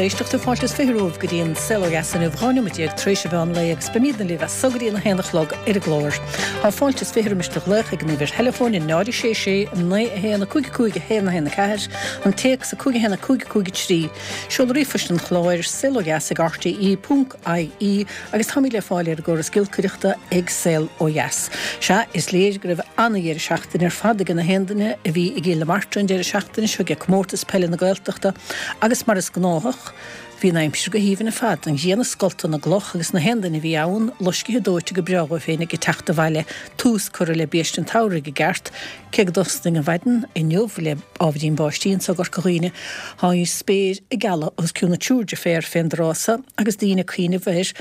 éisteachta, fáilte is 20 romhaibh go dtí an Saol Ó Dheas inniu, 12 nóiméad tar éis an mheán lae agus beimidne libh as so go dtí an 1 a chlog ar an gclár. Tá fáilte is 20 roimis do ghlaoch ag an uimhir theileafóin 0 6 6 9 1 5 5 1 1 4, an téacs 5 1 5 5 3. Seoladh ríomhphoist an chláir, saolodheas ag rte.ie agus táimid le fáil ar an gcóras giolcaireachta ag Saol Ó Dheas. Sea, is léir go raibh ana-dheireadh seachtaine ar fad ag na haon duine a bhí i gCill na Martra an deireadh seachtaine seo ag Comórtas Peile na Gaeltachta agus mar is gnáthach, bhí an aimsir go haoibhinn ar fad, an ghrian ag scoltadh na gcloch agus na haon duine a bhí ann loiscithe dóite go breá dhóibh féin ag teacht abhaile, tús curtha le biaiste an tsamhraidh i gceart. Cé go dtosnaigh an mhaidin inniu le ábhairín báistí anso i gCorca Dhuibhne, tá an spéir ag gealadh os cionn an triúr deirféar fén dtráth so agus daoine ag cuimhneamh ar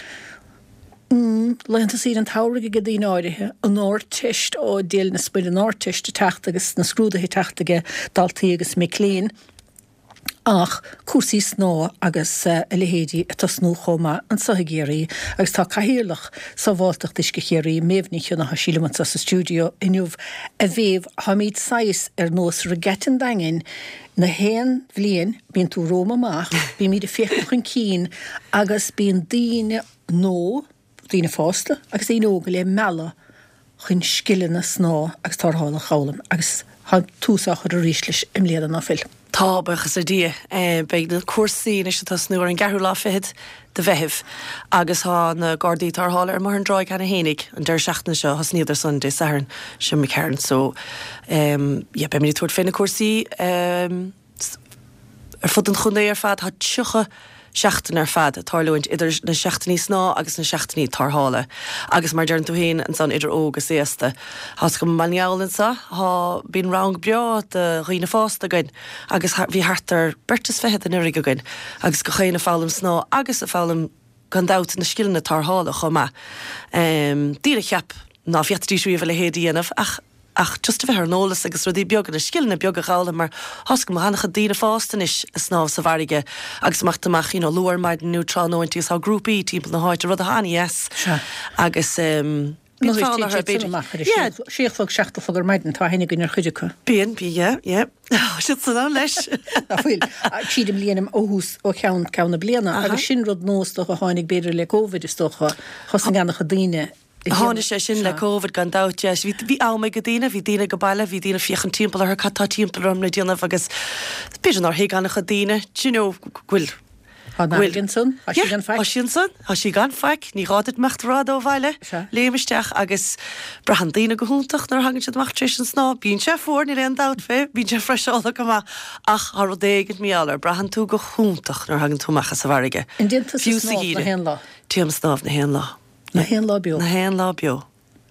laethanta saoire an tsamhraidh ag daoine áirithe, an Ardteist, ó Dia linn is Muire, an Ardteist ag teacht agus na scrúduithe ag teacht ag daltaí agus mic léinn. Ach cúrsaí snámha agus a leithéidí ag tosnú chomh maith anso i gCiarraí agus tá Cathaoirleach Sábháilteacht Uisce Chiarraí, Méabh Ní Chionnaith, sí liom anso sa stiúideo inniu. A Mhéabh, táimid saghas ar nós Regatta an Daingin, na haon bhliain bíonn tú romham amach, bímid ag féachaint chun cinn agus bíonn daoine nó, daoine fásta agus daoine óga le mealladh chun scileanna snámha agus tarrthála a dh'fhoghlaim agus tá tús á chur arís leis i mbliana, ná fuil? Tá, buíochas le Dia. Beidh na cúrsaí anois ag tosnú ar an gceathrú lá fichead de Mheitheamh agus tá na Gardaí Tarrthála ar an mBóthar na dTráigh cheana fhéinig an deireadh seachtaine seo, thosnaíodar san Dé Sathairn seo imigh tharainn so yeah beimid ag tabhairt fé na cúrsaí. Ar fud an chontae ar fad tá 30 seachtain ar fad ag tarlúint idir na seachtainí snámha agus na seachtainí tarrthála agus mar a deireann tú féin ansan idir óg is aosta. Tá's agam i mBaile na nGall anso tá bíonn rang breá do dhaoine fásta againn agus bhí thart ar beirt is fichead anuraidh againn agus gach éinne ag foghlaim snámha agus ag foghlaim gan dabht, na scileanna tarrthála chomh maith. Daoine a cheap ná féadfaidís riamh a leithéid a dhéanamh ach ach just a bheith ar an eolas agus rudaí beaga, na scileanna beaga a dh'fhoghlaim mar tá's agam an-chuid daoine fásta anois ag snámh sa bhfarraige agus imeacht amach you know luath ar maidin nó tráthnóint agus tá grúpaí timpeall na háite, rud atá an-dheas agus bíonn fonn orthu b'fhéidir. amach ar a sé a chlog, 7 a chlog ar maidin, tá aithne againn ar chuid acu. Bíonn, bíonn, yeah, yeah. Tá siad san ann leis. Ná fuil. Tríd an mbliain ó thús, ó cheann ceann na bliana. Agus sin rud nua is dócha a tháinig b'fhéidir le Covid is dócha. Thosnaigh an-chuid daoine ag déanamh. Tháinig sé sin le Covid gan dabht, yeah. Bhí, bhí am ag daoine, bhí daoine ag baile, bhí daoine ag féachaint timpeall orthu, cad tá timpeall orm le déanamh agus b'fhéidir nár thuig an-chuid daoine, do you know, go bhfuil, Tá an fharraige ansan, tá sí gan faic. Tá sí ansan, tá sí gan faic, ní gá duit imeacht i bhfad ó bhaile, léim isteach agus braitheann daoine go hiontach nuair a thagann siad amach tar éis an snámh. Bíonn sé fuar, níl aon dabht fé, bíonn sé freiseálach go maith ach tá rud éigin mar gheall air, braitheann tú go hiontach nuair a thagann tú amach as an bhfarraige. An dtéann tusa snámh na haon lá? Téim snámh na haon lá. Na haon lá beo? Na haon lá beo.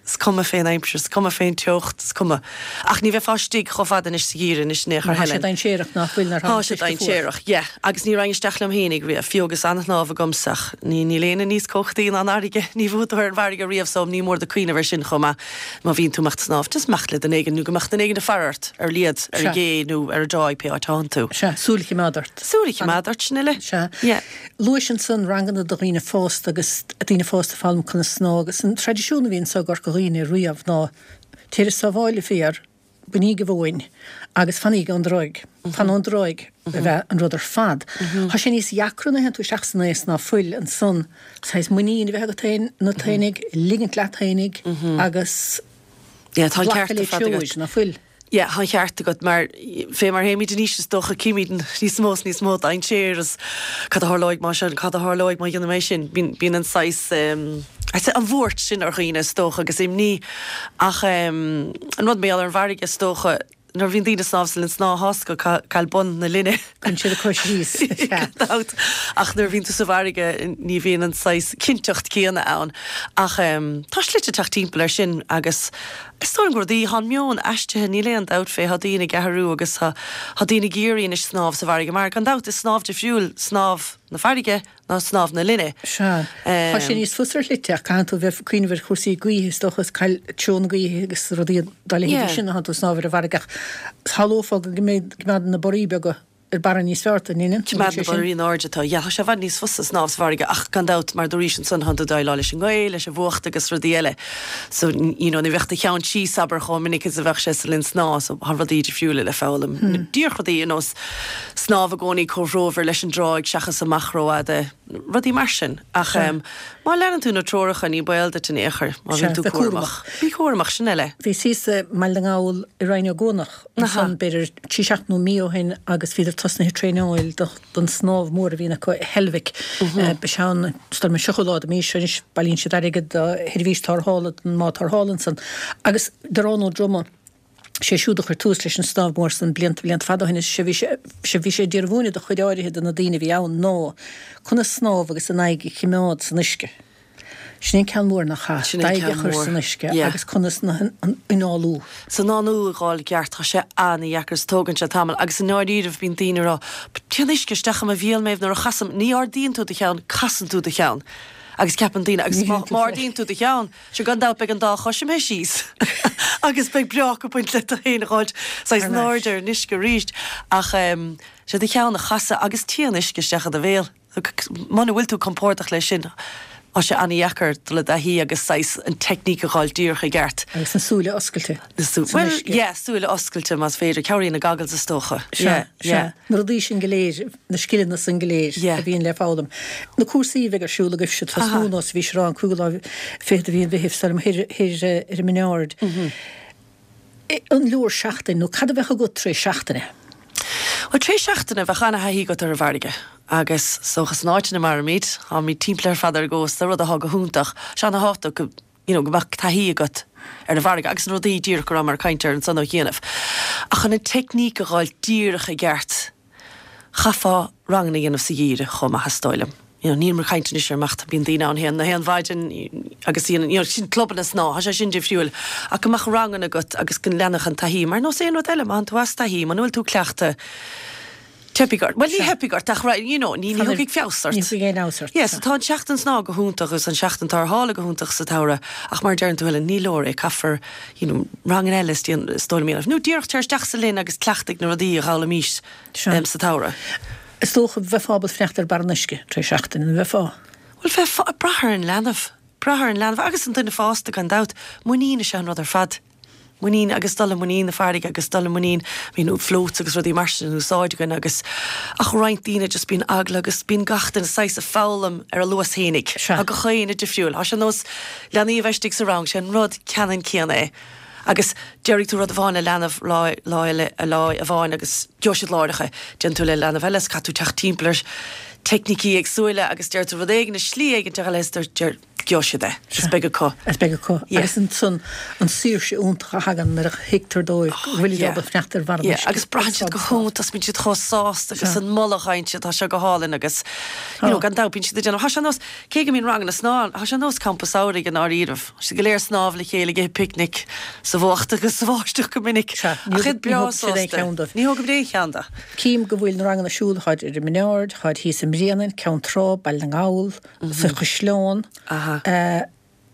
Is cuma fén aimsir, is cuma fén teocht, is cuma. Ach ní bheifeá istigh chomh fada anois sa gheimhreadh anois in aon chor, Tá sé Helen. dainséarach nach bhfuil nuair Tá sé dainséarach, yeah. Agus ní raghainn isteach liom fhéinig riamh, fiú agus an-shnámh agamsa ach ní, níl éinne níos cumhachtaí ná an fharraige, ní bhuafaidh tú ar an bhfarraige riamh so ní mór duit cuimhneamh ar sin chomh maith má bhíonn tú imeacht snámh, just imeacht le duine éigin nó go mbeadh duine éigin ag faire ort ar a laghad, ar an gcé nó ar an dtráigh pé áit a thánn tú. Sea, súil a choimeád ort. Súil a choimeád ort, sin uile. Sea. Yeah. Luais ansan ranganna do dhaoine fásta agus daoine fásta ag foghlaim conas snámh agus an traidisiún a bhí anso i gCorca Dhuibhne riamh ná téir sábháil an féar, bainigh an mhóin agus fanaíg ón dtráigh. Fan ón dtráigh a bheadh an rud ar fad. Tá sé níos dheacra nuair a théann tú isteach san aos ná fuil ansan saghas muinín a bheith agat féin, ionat fhéinig, ligint leat fhéinig agus glacadh le treoir ná fuil. Yeah, tá an ceart agat, mar fé mar théimid in aois is dócha címid níos mó is níos mó dainséir is cad a tharlóidh má sin, cad a tharlóidh má dhéanfaidh mé sin. Bíonn, bíonn an saghas, I'd say an bhuairt sin ar dhaoine is dócha agus imní ach an rud mar gheall ar an bhfarraige is dócha nuair a bhíonn daoine ag snámh sa linn snámha tá's agat caill bun na linne. Cuireann siad a cois síos. Gan dabht. Ach nuair a bhíonn tú sa bhfarraige ní bhíonn an saghas cinnteacht céanna ann. Ach tá slite teacht timpeall air sin agus Is dóigh liom go rudaí, tá an meon aistrithe, níl aon dabht fé, tá daoine ag athrú agus tá, tá daoine ag iarraidh anois snámh sa bhfarraige mar, gan dabht, is snámh difriúil snámh na farraige ná snámh na linne. Sea. Tá sé níos fusa ar shlite ach caithfidh tú bheith ag cuimhneamh ar chúrsaí gaoithe is dócha, is caill treo na gaoithe agus rudaí dá leithéidí sin nuair atánn tú ag snámh ar an bhfarraige ach shamhlófá go mbeidh, go mbeadh na boraí beaga. Ar barra níos fearr tú, an ndeineann? Coimeád na barraí in airde atá. Yeah, tá sé i bhfad níos fusa snámh sa bhfarraige ach gan dabht mar dúraís ansan thánn tú ag déileáil leis an ngaoth, leis an bhfuacht agus rudaí eile. So, you know, ní bheadh do cheann síos, abair, chomh minic is a bheadh sé sa linn snámha so tá rudaí difriúla le foghlaim. Díreach rudaí ar nós snámh i gcónaí comhthreomhar leis an dtráigh seachas amach rófhada, rudaí mar sin. Ach má leanann tú na treoracha ní baol duit in aon chor má bhíonn tú cúramach. Bí cúramach, sin eile. Bhíos thíos i mBaile na nGall i Rinn Ó gCuanach Ansan, b'fhéidir trí seachtaine nó mí ó shin agus bhíodar tosnaithe ag traenáil don snámh mór a bhíonn acu i Heilbhic. Beidh sé ann, is dóigh liom an 30ú lá de mhí seo anois, bailíonn siad airgead do sheirbhís tarrthála, don mbád tarrthála ansan. Agus Darán Ó Droma, sé siúd a chuir tús leis an snámh mór san blianta, blianta fada ó shin, is sé bhí sé, sé bhí sé ag iarraidh mhúineadh do chuid áirithe de na daoine a bhí ann ná conas snámh agus an aghaidh a chimeád san uisce. Sin é an ceann mór nach ea? Sin é an D'aghaidh a ceann chur mór. san uisce Yeah. agus conas an análú. San análú a dh'fháil i gceart, tá sé an-dheacair is tógann sé tamall agus i ndáiríribh bíonn daoine ag rá but téann uisce isteach i mo bhéal Méabh nuair a chasaim, ní ardaíonn tú do cheann, casann tú do cheann agus ceapann daoine agus Ní má théann tú má fé. ardaíonn tú do cheann, sure gan dabht beidh an dá chois imithe síos agus beidh breác ag baint le tú féin a dh'fháilt saghas Thar in n-ais. airde ar an uisce arís ach ehm sé do cheann a chasadh agus téann uisce isteach i do bhéal. Muna bhfuil tú compordach leis sin, tá sé an-dheacair dul i dtaithí agus saghas an teicníc a dh'fháil díreach i gceart. Agus na súile oscailte san Bhuel, uisce. yeah, súile oscailte más féidir. Cabhraíonn na goggles is dócha. Sea, Yeah, sea. yeah. Na rudaí sin go léir, na scileanna san go léir Yeah. a bhíonn le foghlaim. Na cúrsaí a bheidh ar siúl agaibhse, tosnú Aha. nós a bhí sé an cúigiú lá fichead de mhí an Mheithimh, is dóigh liom, thoir, thoir ar an mBinn Ard. An leor seachtain, nó cad a bheadh agat tar éis seachtaine? Bhuel, tar éis seachtaine, bheadh ana-thaithí agat ar an bhfarraige agus is dócha san áit ina mairimid, táimid timpeall ar fad ar an gcósta, rud atá go hiontach. Sé ana-thábhachtach go, you know, go mbeadh taithí agat ar an bhfarraige agus na rudaí díreach go rabhamar ag caint air ansan ó chianaibh. Ach chun an teicníc a dh'fháil díreach i gceart, Chaithfeá ranganna a dhéanamh sa gheimhreadh chomh maith is dóigh liom. You know, nílim ag caint anois ar amach, bíonn daoine ann théann na haon mhaidin agus you know, sin clubanna snámha, tá sé sin difriúil. Ach go mbeadh ranganna agat agus go leanfadh an taithí, mar nós aon rud eile, má théann tú as taithí, muna bhfuil tú cleachta, teipfidh ort. Bhuel, ní theipfidh ort ach right, you know, ní ní thiocfaidh feabhas ort. Ní thiocfaidh aon fheabhas ort. Yeah, so tá an tseachtain snámha go hiontach agus an seachtain tarrthála go hiontach sa tsamhradh ach mar a deireann tú Helen, ní leor é, caithfear you know, ranganna eile is dóigh liom a dhéanamh. Nó díreach téir isteach sa linn agus cleachtaigh na rudaí a dh'fhoghlaimís sa tsamhradh. Is dócha, bheifeá ábalta fanacht ar barr an uisce tar éis seachtaine, an bheifeá? Bhuel, bheifeá, ag brath ar an leanbh. Brath ar an leanbh agus an duine fásta gan dabht. Muinín is ea an rud ar fad. Muinín agus dul i muinín na farraige agus dul i muinín, I mean, floats agus rudaí mar sin in úsáid againn agus ach roinnt daoine just bíonn eagla agus bíonn gach duine saghas ag foghlaim ar a luas fhéinig. Tá gach éinne difriúil. Tá sé ar nós leanaí a bheith istigh sa rang, sé an rud ceannann céanna é. Agus déarfaidh tú rud amháin le leanbh lá, lá eile, lá amháin agus gheobhaidh siad láithreach é. Déanann tú le leanbh eile is caithfidh tú teacht timpeall ar teicnící éagsúla agus deir tú rud éigin i slí éigin eile is deir, gheobhaidh siad é. Is beag acu. Is beag acu. Yeah. Agus ansan an saoirse iontach a thagann nuair a thuigtear dóibh go bhfuilid Yeah. ábalta fanacht ar bharr an Yeah. uisce. Agus braitheann siad go hiontach, bíonn siad chomh sásta agus Sea. an moladh a fhaigheann siad, tá sé go hálainn agus, you know, Tá. gan dabht bíonn siad ag déanamh, tá sé ar nós, Cé go mbíonn ranganna snámha, tá sé ar nós campa samhraidh i ndáiríribh. Tá siad go léir ag snámh le chéile, ag ithe picnic sa bhfuacht agus sa bháisteach go minic. Sea, ní Ach iad ní breá thógann siad aon sásta. cheann dóibh. Ní thógaimid aon cheann de. Cím go bhfuil na ranganna ar siúl, táid ar an mBinn Ard, táid thíos i mBréanainn, Ceann Trá, Baile na nGall, sa Chaisleán. Aha.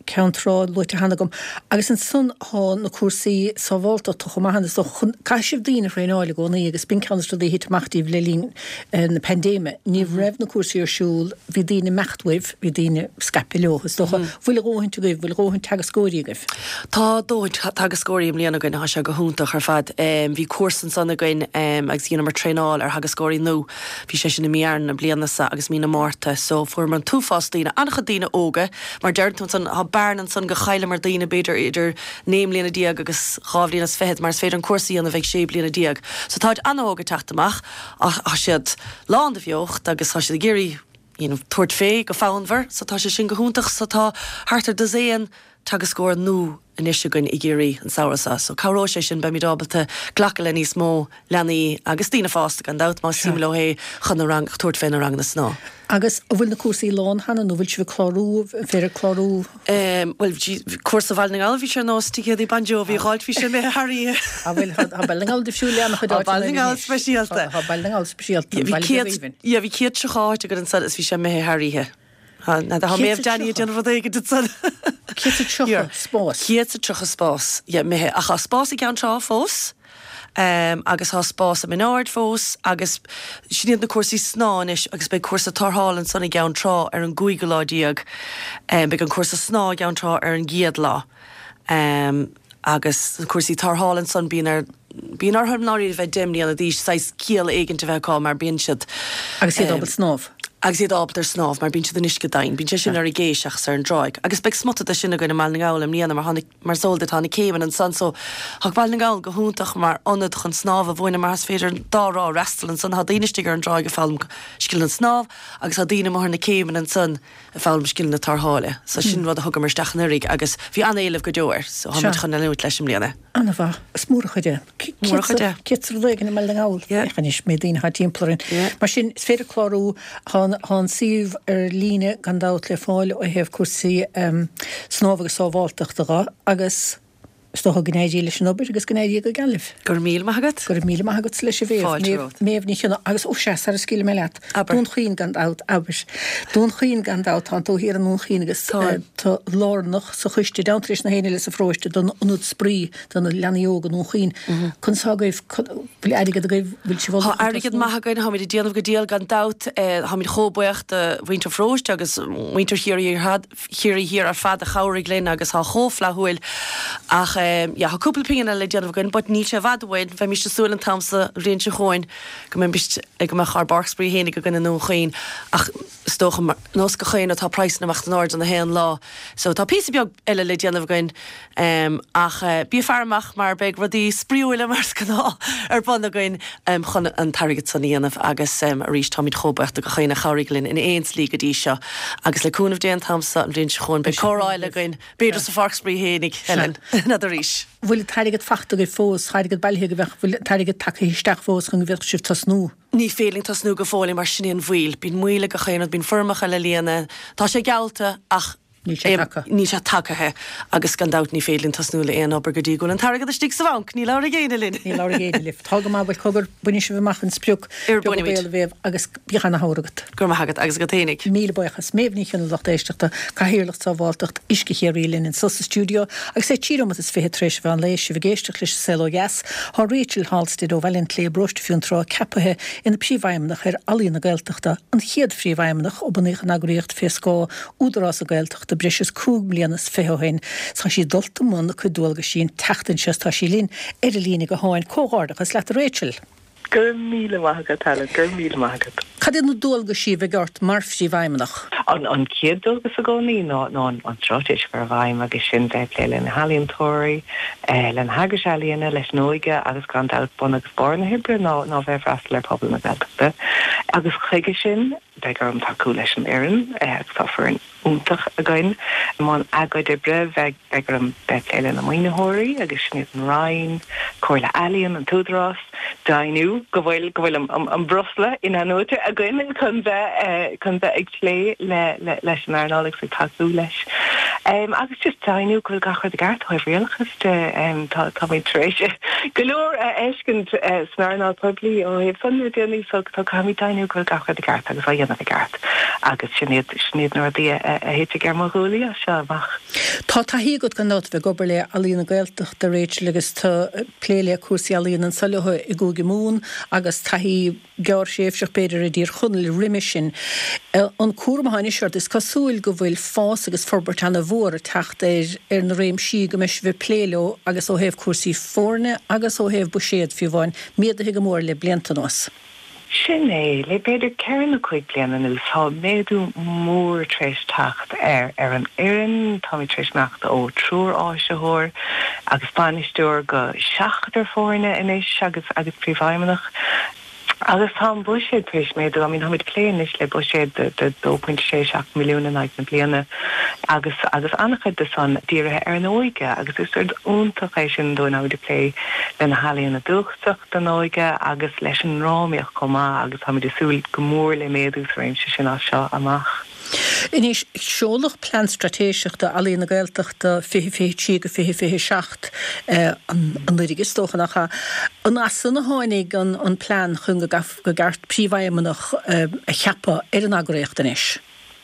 Ceann Trá luaite cheana agam. Agus ansan thá na cúrsaí sábháltachta chomh maith is dócha. Caithfidh sibh daoine a thraenáil i gcónaí agus b'in ceann de na rudaí a thit amach díbh le linn na paindéime. Ní raibh na cúrsaí ar siúl, bhí daoine ag imeacht uaibh, bhí daoine scaipthe leo is dócha. Bhfuil a dhóthaint agaibh, bhfuil a dhóthaint teagascóirí agaibh? Tá dóthaint teagascóirí i mbliana againn, tá sé go hiontach ar fad. Bhí cúrsa ansan againn agus dheineamar traenáil ar theagascóirí nua. Bhí sé sin i mí Aibreán na bliana seo agus mí na Márta so fuaireamar an t-uafás daoine, an-chuid daoine óga, mar deireann tú ansan, tá bearna ansan go chailleamar daoine b'fhéidir idir 19 mbliana agus dhá bhliain is fichead mar is féidir an cúrsa a dhéanamh ag 16 bliana. So táid an-óg ag teacht amach ach tá siad lán de bheocht agus tá siad ag iarraidh you know tabhairt fé go fonnmhar so tá sé sin go hiontach so tá thart ar dosaen teagascóir nua anois againn i gCiarraí an samhradh seo so cabhróidh sé sin, beimid ábalta glacadh le níos mó leanaí agus daoine fásta gan dabht, más suim leo é chun na rang, tabhairt fé na ranganna snámha. Agus an bhfuil na cúrsaí lán cheana nó bhfuil sibh ag clárú, an féidir clárú? Bhuel, cúrsa Bhaile na nGall, bhí sé ar nós ticéadaí Bon Jovi a dh'fháilt, bhí sé imithe thar oíche. Ah bhuel, tá Baile na nGall difriúil le an-chuid Tá áiteanna Baile na eile nGall anois. speisialta. Tá Baile na nGall speisialta, Bhí an baile beag 100, aoibhinn. yeah, bhí 130 áit againn ansan is bhí sé imithe thar oíche. Tá Méabh Danny ag déanamh rud éigin ansan. 130 spás. 130 spás, yeah, imithe. Ach tá spás i gCeann Trá fós, agus tá spás i Mín Aird fós, agus sin iad na cúrsaí snámha anois, agus beidh cúrsa tarrthála ansan i gCeann Trá ar an gcúigiú lá déag. Beidh an cúrsa snámha i gCeann Trá ar an gcéad lá. Agus na cúrsaí tarrthála ansan, bíonn ar, bíonn orthu i ndáiríre a bheith 10 mbliana d'aois, saghas ciall éigint a bheith acu mar bíonn siad. Agus iad ábalta snámh. Agus iad ábalta ar snámh mar bíonn siad in uisce domhain. Bíonn sé sin ar an gcé seachas ar an dtráigh. Agus beidh smut de sin againn i mBaile na nGall i mbliana mar tá na, mar is eol duit tá na céimeanna ansan so tá Baile na nGall go hiontach mar ionad chun snámh a mhúineadh mar is féidir an dá thrá a fhreastal ansan. Tá daoine istigh ar an dtráigh ag foghlaim scileanna snámh agus tá daoine amuigh ar na céimeanna ansan ag foghlaim scileanna tarrthála. So sin rud a thugamar isteach anuraidh agus bhí an-éileamh go deo air. So táimid chun leanúint leis i mbliana. An-mhaith. Is mór an chuid é. Mór an chuid é. Céad is rud éigin i mBaile na nGall. Yeah. Féach anois, méid daoine atá timpeall orainn. Yeah. Mar sin, is féidir clárú, tá an suíomh ar líne gan dabht le fáil ó thaobh cúrsaí snámha agus sábháilteachta dhe agus Is dócha go n-éirí leis an obair agus go n-éirí go geal libh. Go raibh míle maith agat. Go raibh míle maith agatsa leis a Mhéabh. Fáilte romhat. Méabh Ní Chionnaith agus ó sea, sara scaoilfidh mé leat. Abair. Dún Chaoin gan dabht, abair. Dún Chaoin gan dabht, tánn tú thiar i nDún Chaoin agus Táim. tú lárnach sa choiste, i dteannta leis na héinne eile sa pharóiste don ionad spraoi do na leanaí óga i nDún Chaoin. Conas tá agaibh, bhfuil airgead agaibh, bhfuil sibh ullamh chun Tá airgead tosnú? maith againn, táimid ag déanamh go diail gan dabht. Táimid chomh buíoch do mhuintir an pharóiste agus muintir Chiarraí ar Chiarraí Thiar ar fad a chabhraigh linn agus tá chomh flaithiúil ach yeah tá cúpla pingin eile le déanamh againn but níl sé i bhfad uainn, bheimis ag súil an t-am so an bhliain seo chugainn go mbeimis go mbeadh ár bpáirc spraoi fhéinig againn i nDún Chaoin ach is dócha ar nós gach aon rud tá praghsanna ag imeacht in airde na haon lá so tá píosa beag eile le déanamh againn Ach bí ag faire amach mar beidh rudaí spraíúla mar is gnáth ar bun againn chun an t-airgead san a dhéanamh agus arís táimid chomh buíoch do gach éinne a chabhraigh linn in aon slí go dtí seo agus le cúnamh Dé an t-am so an bhliain seo chugainn beidh comhrá eile againn, b'fhéidir sa pháirc spraoi fhéinig, Helen, n'fheadar arís. Bhfuil an t-airgead fachta agaibh fós, tá airgead bailithe agaibh ach bhfuil an t-airgead tagtha isteach fós chun go bhféadfadh sibh tosnú? Ní féidir linn tosnú go fóill mar sin é an mhoill. Bíonn moill ag gach aon rud, bíonn foirmeacha le líonadh, tá sé geallta ach Níl sé tagtha. Níl sé tagtha agus gan dabht ní féidir linn tosnú le aon obair go dtí go bhfuil an t-airgead istigh sa bhanc. Ní labharfaidh éinne linn. Ní labharfaidh éinne libh. Tá go maith, bhuel cogar, bainfidh sibh amach an sprioc. Ar Beag bainfimid. béal a Mhéabh agus bíodh ana-shamhradh agat. Go raibh maith agat agus agat fhéinig. Míle buíochas. Méabh Ní Chionnaith lucht éisteachta, Cathaoirleach Sábháilteacht Uisce Chiarraí linn anso sa stiúideo agus é 13 nóimeat is 20 tar éis an mheán lae, sibh ag éisteacht leis an Saol Ó Dheas. Tá Rachel Halstead ó Bhaile an tSléibhe, Paróiste Fionntrá, ceapaithe ina Príomhfheidhmeannach ar Ealaín na Gaeltachta, an chéad Phríomhfheidhmeannach ó bunaíodh an eagraíocht fé scáth Údarás na Gaeltachta breis is 25 mbliana ó shin. Tá sí dulta i mbun a cuid dualgaisí an tseachtain seo is tá sí linn ar an líne gutháin. Comhghairdeachas leat a Rachel. Go raibh míle maith agat Helen, go raibh míle maith agat. Cad iad na dualgaisí a bheidh ort mar Phríomhfheidhmeannach? An chéad dualgas i gcónaí ná an straitéis a chur i bhfeidhm agus sin bheith ag plé le na healaíontóirí, le na heagrais ealaíona, leis an óige agus gan dabht bun agus barr na hoibre ná bheith ag freastal ar phobal na Gaeltachta. Agus chuige sin, Beidh orm tacú leis an fhoireann agus tá foireann iontach againn i mbun a gcuid oibre. Beidh beidh orm bheith ag plé le na maoinitheoirí agus sin iad an Roinn, Comhairle Ealaíon, an tÚdarás, deimhniú go bhfuil go bhfuil an breosla in-athnuaite againn chun bheith chun bheith ag plé le leis an earnáil agus ag tacú leis. Agus just deimhniú go bhfuil gach rud i gceart ó thaobh rialachas de. Tá táimid tar éis go leor a fheiscint san earnáil poiblí ó thaobh san le déanaí so tá caithfimid deimhniú go bhfuil gach rud i gceart agus á dhéanamh i gceart agus sin iad sin iad na rudaí a thitfidh ar mo ghuaillí as seo amach. Tá taithí agat gan dabht a bheith ag obair le Ealaíon na Gaeltachta, Rachel, agus tú ag plé le cúrsaí ealaíon anso leo i gCúige Mumhan agus taithí gearrthréimhseach b'fhéidir i dTír Chonaill roimhe sin. An cúram atá anois ort, is cosúil go bhfuil fás agus forbairt ana-mhór ag teacht ar ar na réimsí go mbeidh sibh ag plé leo agus ó thaobh cúrsaí foirne agus ó thaobh buiséad fiú amháin, méadaithe go mór le blianta anuas. Sin é, le b'fhéidir ceithre nó cúig bliana anuas tá méadú mór tar éis teacht ar ar an fhoireann, táimid tar éis imeacht ó triúr áisitheoir agus bainisteoir go seachtar foirne anois agus agus príomhfheidhmeannach. Agus tá an buiséad tar éis méadú, I mean táimid ag plé anois le buiséad de 2.67 milliún in aghaidh na bliana agus agus an-chuid de san dírithe ar an óige agus is rud iontach é sin dúinn, táimid ag plé le na healaíona dúchasach don óige agus leis an ndrámaíocht chomh maith agus táimid ag súil go mór le méadú sa réimse sin as seo amach. Anois, seoladh Plean Straitéiseach d'Ealaíon na Gaeltachta 2023-2027 anuraidh, is dócha, nach ea? An as san a tháinig an plean chun go gceart príomhfheidhmeannach a cheapadh ar an eagraíocht anois?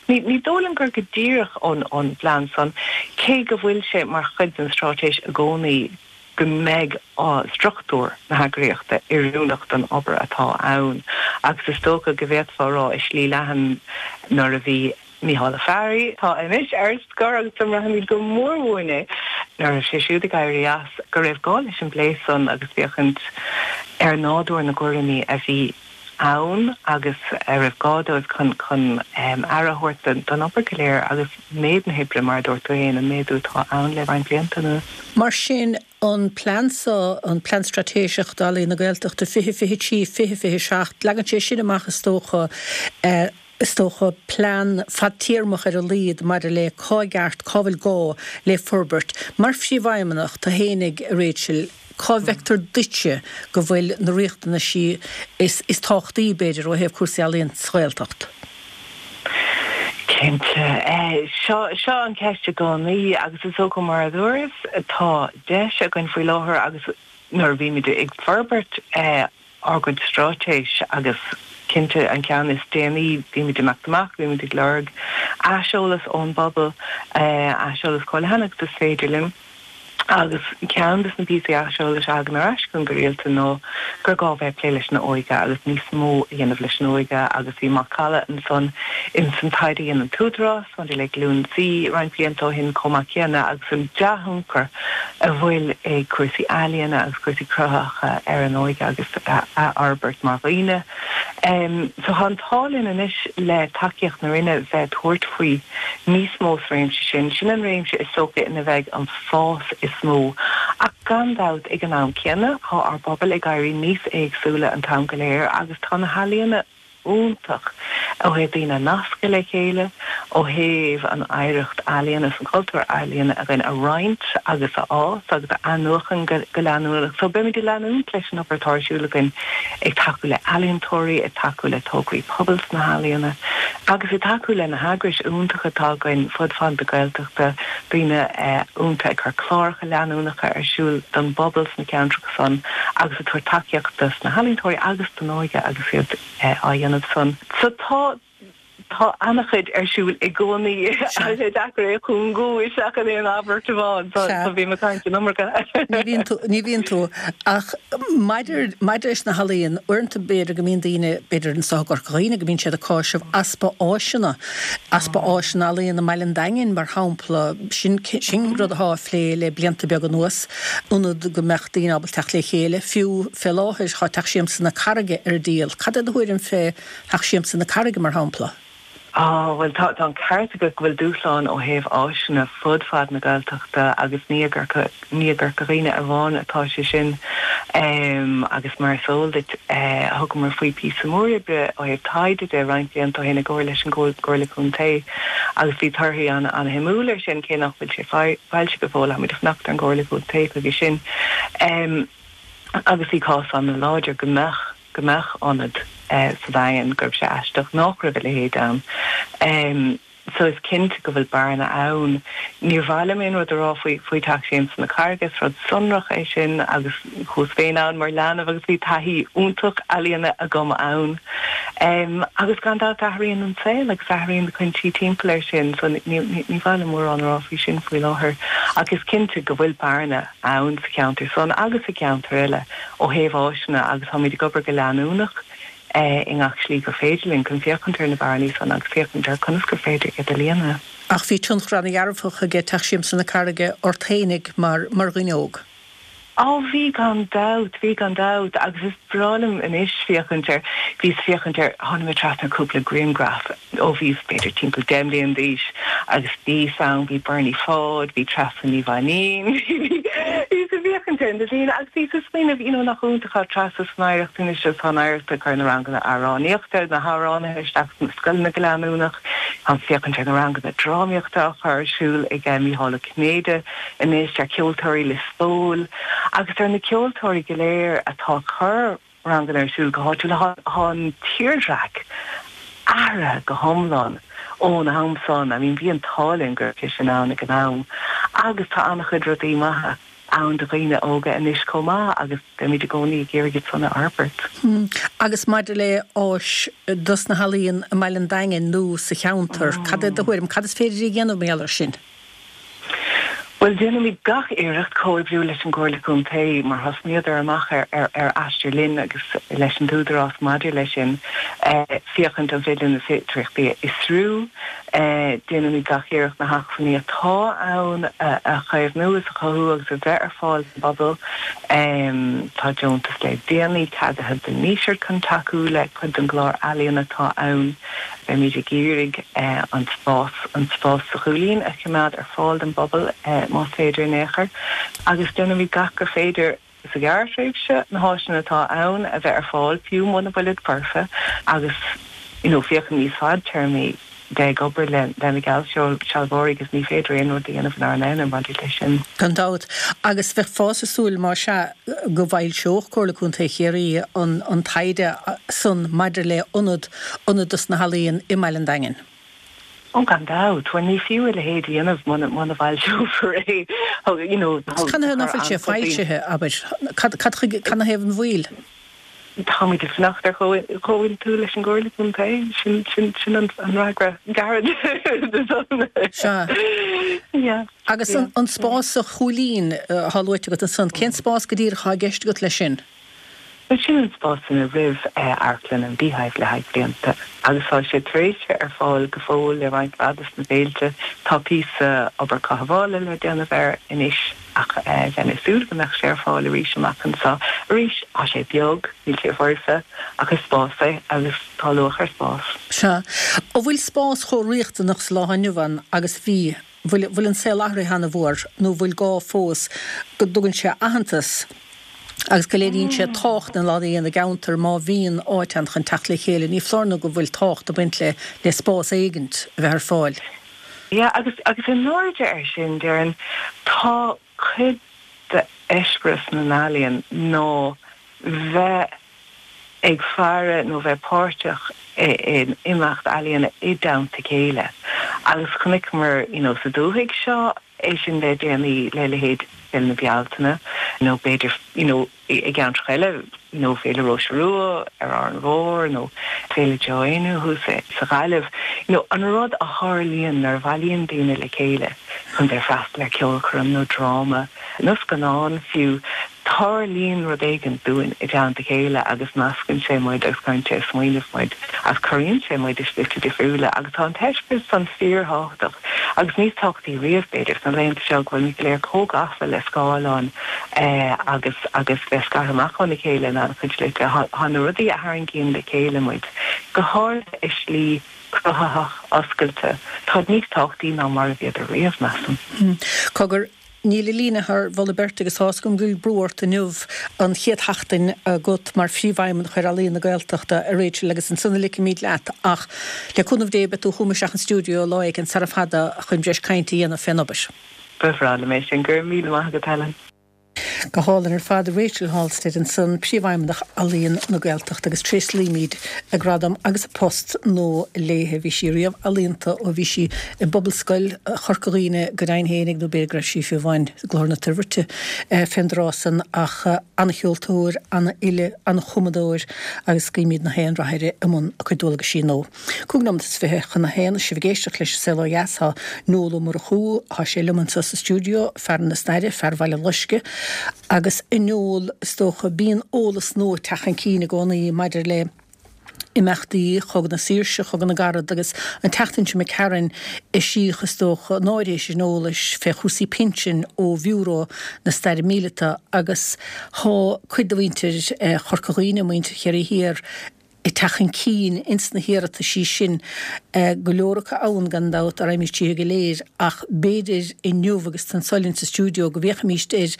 Ní dóigh liom gur go díreach ón bplean san, cé go bhfuil sé mar chuid den straitéis i gcónaí go mbeidh struchtúr na heagraíochta oiriúnach don obair atá ann agus is dócha go bhféadfá a rá i slí leathan nuair a bhí Mícheál Ó Fearraigh, atá anois ar scor agus go mbraithfimid go mór uainn é, nuair a bhí sé siúd ag éirí as, go raibh gá leis an bplé san agus féachaint ar nádúr na gcúraimí a bhí ann agus a raibh gá dóibh chun chun aire a thabhairt don obair go léir agus méid na hoibre, mar a dúirt tú féin, an méadú atá ann le roinnt blianta anuas. Mar sin, an plean seo, an Plean Straitéiseach d'Ealaíon na Gaeltachta 2023, 2027, leagann sé sin amach is dócha, is dócha, plean fadtéarmach ar a laghad maidir le cá i gceart, cá bhfuil gá le forbairt. Mar Phríomhfheidhmeannach, tú fhéinig, a Rachel, cá bhfeictear duitse go bhfuil na riachtanaisí is is tábhachtaí, b'fhéidir, ó thaobh cúrsaí ealaíon sa Ghaeltacht? Cinnte. Seo seo an cheist i gcónaí agus is dócha mar a dúras, tá deis againn faoi láthair agus nuair a bhímid ag forbairt ár gcuid straitéis agus cinnte an ceann is déanaí, bímid ag imeacht amach, bímid ag lorg aiseolas ón bpobal, aiseolas chomh leathan agus is féidir linn. Agus ceann de na píosaí aiseolais a thagann ar ais chugainn go rialta ná gur gá bheith ag plé leis an óige agus níos mó a dhéanamh leis an óige agus bhí macalla ansan ins an taighde a dhein an tÚdarás maidir le Glúin Z roinnt blianta ó shin chomh maith céanna agus an dea-thionchar a bhfuil ag cúrsaí ealaíona agus cúrsaí cruthaitheacha ar an óige agus a fhorbairt mar dhaoine. So tá an t-ádh linn anois le tacaíocht na Roinne bheith ag tabhairt faoi níos mó sa réimse sin. Sin an réimse is dócha ina bheidh an fás is mó. Ach gan dabht ag an am céanna tá ár bpobail ag éirí níos éagsúla an t-am go léir agus tá na healaíona iontach ó thaobh daoine a nascadh le chéile, ó thaobh an oidhreacht ealaíona is an cultúr ealaíona againn a roinnt agus a fhás agus a athnuachan go leanúnach. So beimid ag leanúint leis an obair atá ar siúl againn ag tacú le healaíontóirí, ag tacú le tograí pobail sna healaíona agus ag tacú le na heagrais iontacha atá againn fud fad na Gaeltachta, daoine iontacha ag cur cláracha leanúnacha ar siúl don bpobal sna ceantracha. san agus ag tabhairt tacaíocht dos na healaíontóirí agus don óige agus iad á dhéanamh san. So tá, tá ana-chuid ar siúl i gcónaí. Tá sé deacair é a chúngú isteach in aon abairt amháin, so, so bím ag caint an iomarca. Ní bhíonn tú, ní bhíonn tú. Ach maidir, maidir leis na healaíon, uaireanta b'fhéidir go mbíonn daoine, b'fhéidir anseo i gCorca Dhuibhne, go mbíonn siad ag cáiseamh easpa áiseanna, easpa áiseanna ealaíon i mBaile an Daingin, mar shampla. Sin, sin rud atá á phlé le blianta beaga anuas. ionad go mbeadh daoine ábalta teacht le chéile, fiú fé láthair tá Teach Siamsa na Carraige ar díol. Cad é do thuairim fé Theach Siamsa na Carraige, mar shampla? Á, bhuel, tá an ceart agat go bhfuil dúshláin ó thaobh áiseanna fud fad na Gaeltachta agus ní i gCorca, ní i gCorca Dhuibhne amháin atá sé sin. Agus mar is eol duit, thugamar faoi píosa mór oibre ó thaobh taighde de roinnt blianta ó shin i gcomhar leis an gComhairle Contae agus bhí torthaí an-shuimiúil air sin, cé nach bhfuil sé foilsithe go fóill, táimid ag fanacht ar an gComhairle Contae chuige sin. Agus bhí cás an-láidir go mbeadh, go mbeadh ionad sa Daingean, go raibh sé aisteach nach raibh a leithéid ann. So is cinnte go bhfuil bearna ann. Níor mhaith liom aon rud a rá faoi, faoi Teach Siamsa na Carraige, is rud sonrach é sin agus chuas féin ann mar leanbh agus bhí taithí iontach ealaíona agam ann. Agus gan dabht athraíonn an saol agus athraíonn na cúinsí timpeall air sin so ní mhaith liom mórán a rá faoi sin faoi láthair ach is cinnte go bhfuil bearna ann sa cheantar san agus i gceantair eile ó thaobh áiseanna agus táimid ag obair go leanúnach i ngach slí gur féidir linn chun féachaint ar na bearnaí san agus féachaint ar conas gur féidir iad a líonadh. Ach bhí tionchar ana-dhearfach aige Teach Siamsa na Carraige ort fhéinig mar mar dhuine óg. Á bhí gan dabht, bhí gan dabht agus is breá liom anois féachaint ar, bhíos féachaint ar, tháinig mé trasna ar cúpla grianghraf ó bhíos b'fhéidir timpeall 10 mbliana d'aois agus bhíos ann, bhí Bernie Pháid, bhí Treasa Ní Mhainín, bhíos ag féachaint ar na daoine agus bhíos ag smaoineamh, you know nach iontach tá Treasa san Oidhreacht anois agus tá an Oidhreacht ag cur na ranganna amhránaíochta, na hamhránaithe isteach sna scoileanna go leanúnach, táim ag féachaint ar na ranganna drámaíochta á chur ar siúl ag Mícheál Ó Cinnéide. anois ar Cheoltóirí Lios Póil agus ar na ceoltóirí go léir atá ag cur ranganna ar siúl go háitiúil. Tá an tírdhreach athraithe go hiomlán ón am san. I mean bhí an t-ádh linn go raibh sé sin ann ag an am agus tá an-chuid rudaí maithe. ann do dhaoine óga anois chomh maith agus beimid i gcónaí ag iarraidh iad san a fhorbairt. Agus maidir le áis dos na healaíon i mBaile an Daingin nó sa cheantar, cad é do thuairim? Cad is féidir a dhéanamh mar gheall air sin? Bhuel, déanfaimid gach iarracht comhoibriú leis an gComhairle Contae mar thosnaíodar amach ar aistear linn agus leis an t-údarás maidir leis sin, féachaint an féidir linn na féidearthachtaí a fhiosrú. Déanfaimid gach iarracht na hacmhainní atá ann a chaomhnú is a chothú agus a bheith ar fáil don bpobal. Tá deontas le déanaí ceadaithe don nDíseart chun tacú le cuid den gclár ealaíon atá ann. Beimid ag iarraidh an spás, an spás sa Chúilín a choimeád ar fáil don bpobal más féidir in aon chor agus déanfaimid gach gur féidir sa ghearrthréimhse na háiseanna atá ann a bheith ar fáil fiú muna bhfuilid foirfe agus you know féachaint níos fadtéarmaí de ag obair le na geallsealbhóirí agus ní féidir aon rud a dhéanamh inár n-aonar maidir leis sin. Gan dabht. Agus bheifeá ag súil más ea go bhfoilseodh Comhairle Contae Chiarraí an taighde san maidir le ionad ionad dos na healaíon i mBaile an Daingin. Ó gan dabht. Bhuel ní fiú a leithéid a dhéanamh muna muna bhfoilseofar é. You know, Canathaobh nach bhfuil sé foilsithe, abair? Cad cad chuige, canathaobh an mhoill? Táimid ag fanacht ar chomhaontú leis an gComhairle Contae. Sin sin sin an fhreagra gairid. Sea. Yeah. Agus an spás sa Chúilín atá luaite agat ansan, cén spás go díreach atá i gceist agat leis sin? Bhuel, sin an spás ina raibh Amharclann an Beehive le haghaidh blianta agus tá sé tar éis bheith ar fáil go fóill le roinnt mhaith dos na féilte. Tá píosa obair cothabhála le déanamh air anois ach bheinn ag súil go mbeadh sé ar fáil arís amach anseo. Arís, tá sé beag, níl sé foirfe, ach is spás é agus tá luach ar spás. Sea. An bhfuil spás chomh riachtanach sa lá inniu ann agus a bhí? Bhfuil, bhfuil an saol athraithe ana-mhór nó bhfuil gá fós go dtugann sé aitheantas agus go léiríonn sé tábhacht na n-ealaíon i gceantar má bhíonn áit ann chun teacht le chéile? Ní foláir nó go bhfuil tábhacht ag baint le, le spás éigint a bheith ar fáil. Yeah, agus, agus in airde air sin, déarfainn, tá cuid d'eispéireas na n-ealaíon ná bheith ag faire nó bheith páirteach in imeacht ealaíona i dteannta chéile. Agus chonaiceamar, you know, sa dúthaigh seo é sin le déanaí le leithéid Féile na Bealtaine nó b'fhéidir, you know, i gceantracha eile, you know, Féile Róise Rua ar Árainn Mhór nó Féile Joe Éinniú thuas sa Ghaillimh. You know, an rud a tharlaíonn nuair a bhailíonn daoine le chéile chun bheith freastal ar ceolchoirm nó dráma nó scannán fiú, Tarlaíonn rud éigin dúinn i dteannta a chéile agus nascann sé muid agus cuireann sé ag smaoineamh muid agus corraíonn sé muid i slite difriúla agus tá an t-eispéireas san fíorthábhachtach agus níos tábhachtaí riamh, b'fhéidir, sna laethanta seo go bhfuil muid go léir chomh gafa le scáileáin agus agus bheith scartha amach óna chéile in an-chuid slite. Tá na rudaí a tharraingíonn le chéile muid, go háirithe i slí cruthaitheach oscailte, táid níos tábhachtaí ná mar a bhíodar riamh, measaim. Cogar, Níl an líne thar mholadh beirte agus tá's agam go bhfuil brú ort inniu, an chéad sheachtain agat mar Phríomhfheidhmeannach ar Ealaíon na Gaeltachta, a Rachel, agus ansan a ligfimid leat ach le cúnamh Dé beidh tú chugam isteach an stiúideo lá éigin sara fada chun breis cainte a dhéanamh fén obair. Ba bhreá liom é sin. Go raibh míle maith agat, Helen. Go hálainn ar fad. Rachel Halstead ansan, Príomhfheidhmeannach Ealaíon na Gaeltachta agus tréaslaímid a gradam agus a post nua léithe. Bhí sí riamh ealaíonta ó bhí sí i bPobalscoil Chorca Dhuibhne go deimhin fhéinig nó b'fhéidir go raibh sí fiú amháin i gClochar na Toirbhirte fén dtráth san ach ana-cheoltóir, ana-fhile, ana-chumadóir agus guímid na haon rath uirthi i mbun a cuid dualgaisí nua. 25 nóimeat chun a haon, sibh ag éisteacht leis An Saol Ó Dheas. Tá Noel Ó Murchú, tá sé liom anseo sa stiúideo, fear na staire, fear Bhaile Loiscthe, agus a Noel, is dócha, bíonn eolas nua ag teacht chun cinn i gcónaí maidir le imeachtaí Chogadh na Saoirse, Chogadh na gCarad, agus an tseachtain seo imigh tharainn, eisíodh, is dócha, an áirithe sin eolais fé chúrsaí pinsin ó Bhiúró na Staire Míleata, agus tá cuid de mhuintir Chorca Dhuibhne, muintir Chiarraí Thiar, ag teacht chun cinn ins na hiarrataisí sin, go leor acu ann, gan dabht, dá raghaimís tríothu go léir, ach b'fhéidir inniu, agus tú anso linn sa stiúideo, go bhféachfaimís ar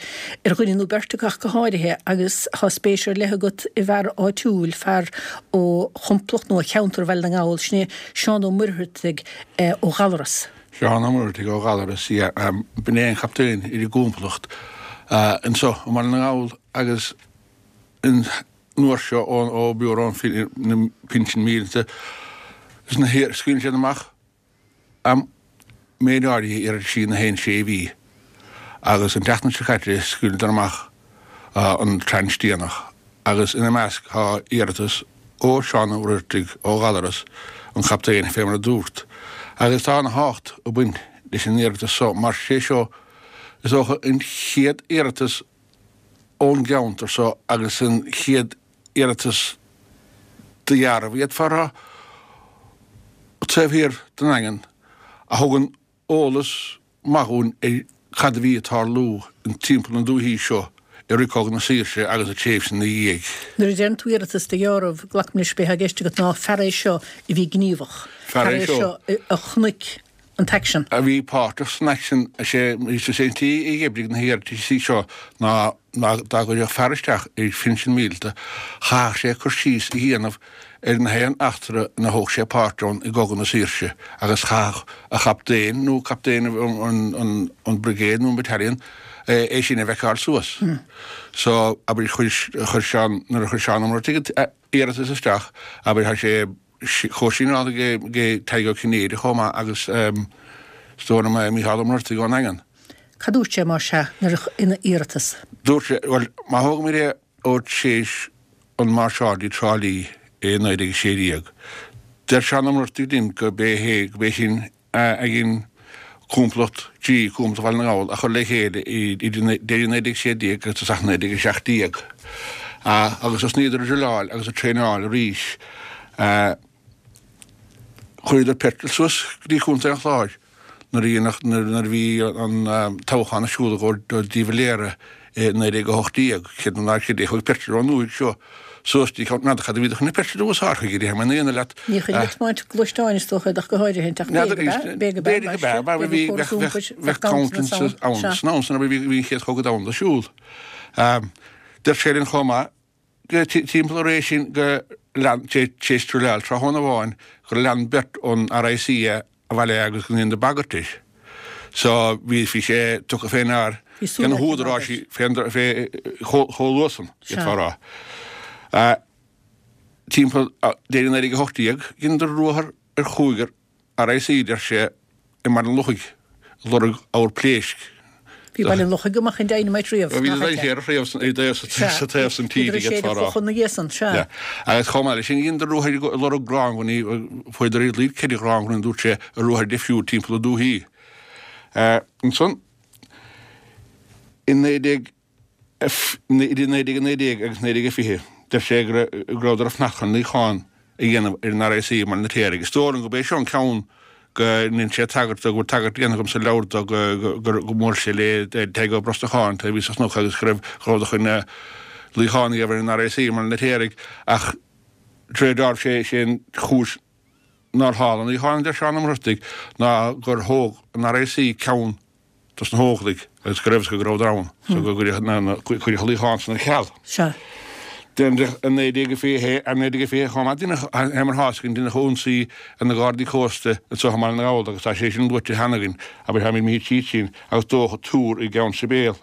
ar dhuine nó beirt acu ach go háirithe, agus tá spéis ar leith agat i bhfear áitiúil, fear ó chomplacht nó ó cheantar Bhaile na nGall, sin é Seán Ó Muircheartaigh ó Ghallaras. Seán Ó Muircheartaigh ó Ghallaras, yeah, b'in é an captaen ar an gcomplacht anso i mBaile na nGall agus an uair seo ó Bhiúró na Pinsean Míleata agus na hIar scaoileann siad amach am méid áirithe iarrataisí na haon sé mhí. Agus an tseachtain seo caite scaoileadar amach an tranche déanach agus ina measc tá iarratas ó Seán Ó Muircheartaigh ó Ghallaras, an captaen, fé mar a dúrt. Agus tá ana thábhacht ag baint leis an iarratas so mar sé seo is dócha an chéad iarratas ón gceantar so agus an chéad iarratas de dheáramh, d'fhéadfá a rá, taobh thiar den nDaingean a thugann eolas maith dhúinn ar cad a bhí ag tarlú timpeall na dúichí seo i rith Cogadh na Saoirse agus an tréimhse ina dhiaidh. Nuair a deireann tú iarratas de dheáramh, glacaim leis b'é atá i gceist agat ná fear é seo a bhí gníomhach, fear é seo a chonaic an t-aicsean. a bhí páirteach san aicsean. Is é an tslí a d'oibrigh na hiarrataisí seo ná ná dá gcuirfeadh fear isteach ar phinsean míleata, chaithfeadh sé cur síos a dhéanamh ar na haon eachtra ina thóg sé páirt ann i gCogadh na Saoirse agus chaithfeadh a chaptaen nó captaen an brigade nó an battalion é sin a bhaiceáil suas. So, abair, chuir Seán, nuair a chuir Seán Ó Muircheartaigh an t-iarratas isteach, abair, tá sé comhshíneáilte ag Tadhg Ó Cinnéide chomh maith agus is dóigh liom Mícheál Ó Muircheartaigh ón nDaingean. Cad dúirt sé, más ea, nuair a, ina iarratas? Dúirt sé, bhuel, má thógaimid é ó tréis an máirseáil dtí Trá Lí i 1916, deir Seán Ó Muircheartaigh linn go b'é hé, go b'é sin a dhein Complacht G, Complacht Bhaile na nGall, a chur le chéile idir deireadh 1916 agus tosach 1917. Agus thosnaíodar ag druileáil agus ag traenáil arís. Chuireadar petrol suas go dtí Contae an Chláir nuair a nuair a bhí an toghchán ar siúl i gcomhair de Valera i 1918. Céard ná céard é chuaigh petrol ón ndúthaigh seo suas dtí ceann n'fheadar cad a bhíodar chun na petrol a úsáid chuige, déarfaidh mé in aon leat. Ní chun ag tiomáint gluaisteáin is dócha ach go háirithe, ach b'fhéidir go b'ea, b'fhéidir go b'ea, b'fhéidir go b'ea, bheadh accountants ann san am san bhí an chéad chogadh domhanda ar siúl. Deir sé linn chomh maith go timpeall an ré sin go lean, tar éis druileáil tráthnóna amháin, gur lean beirt ón RIC é abhaile agus go ndéanadar bagairt air. So bhí bhí sé tugtha fé ndear ag na húdaráisí fé fé chomh luath san, d'fhéadfá a rá. Timpeall deireadh 1918 dheineadar ruathar ar chúigear RIC, deir sé, i mBaile an Lochaigh, ag lorg ábhar pléisc. Bhí Baile an Lochaigh go maith chun dynamite riamh, Bhí nach ea? Bhí riamh sa taobh san tíre, d'fhéadfá a rá. Chun na gcéasann, sea. Agus chomh maith leis sin, dheineadar ruathar ag lorg gránghunnaí, fuaireadar ar a laghad 4 ghránghunaí, dúirt sé, i ruathair difriúil timpeall na dúthaí. Ansan, i 19. Idir 1919 agus 1920, deir sé go rabhadar ag fanacht chun luíochán a dhéanamh ar an RIC i mBaile an Fheirtéaraigh. Is dóigh liom gurb é seo an ceann go ndéanann sé tagairt dó, go bhfuil tagairt déanta agam sa leabhar dó go mbuail sé le Tadhg Ó Brosnacháin a bhí sa chnoc agus go raibh go rabhadar chun luíochán a dhéanamh ar an RIC i mBaile an Fheirtéaraigh ach de réir dealraimh sé sé an chúis nár tharla an luíochán, a deir Seán Ó Muircheartaigh, ná gur thóg an RIC ceann dos na hÓglaigh agus go raibh go rabhadar ann so go gcuireadh na cuireadh an luíochán san ar ceal. Sea. Deineadh i 1921 i 1920 chomh maith deineadh fé mar atá a fhios againn deineadh ionsaí ar na Gardaí Cósta anseo i mBaile na nGall agus tá sé sin luaite cheana againn abair táimid imithe tríd sin agus dódh túr i gCeann Sibéal.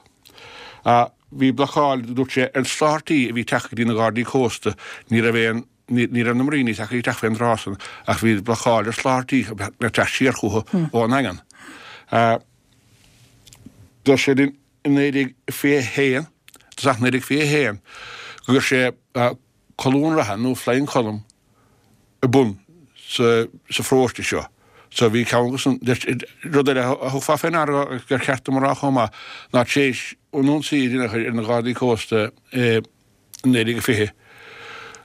Bhí blocáil dúirt sé ar soláthairtí a bhí ag teacht go dtí na Gardaí Cósta ní raibh aon Ní raibh na muiríní tagtha isteach fén dtráth san ach bhí blocáil ar sholáthairtí le teacht siar chucu ón nDaingean. Deir sé linn i 1921, tosach 1921, go gcuir sé colún reatha nó flying column ar bun sa pharóiste seo. So bhí ceann acu san, rud eile a thiocfá fé ndeara agus gur cheart dom a rá chomh maith ná tar éis an ionsaí a rinneadh ar na Gardaí Cósta i 1920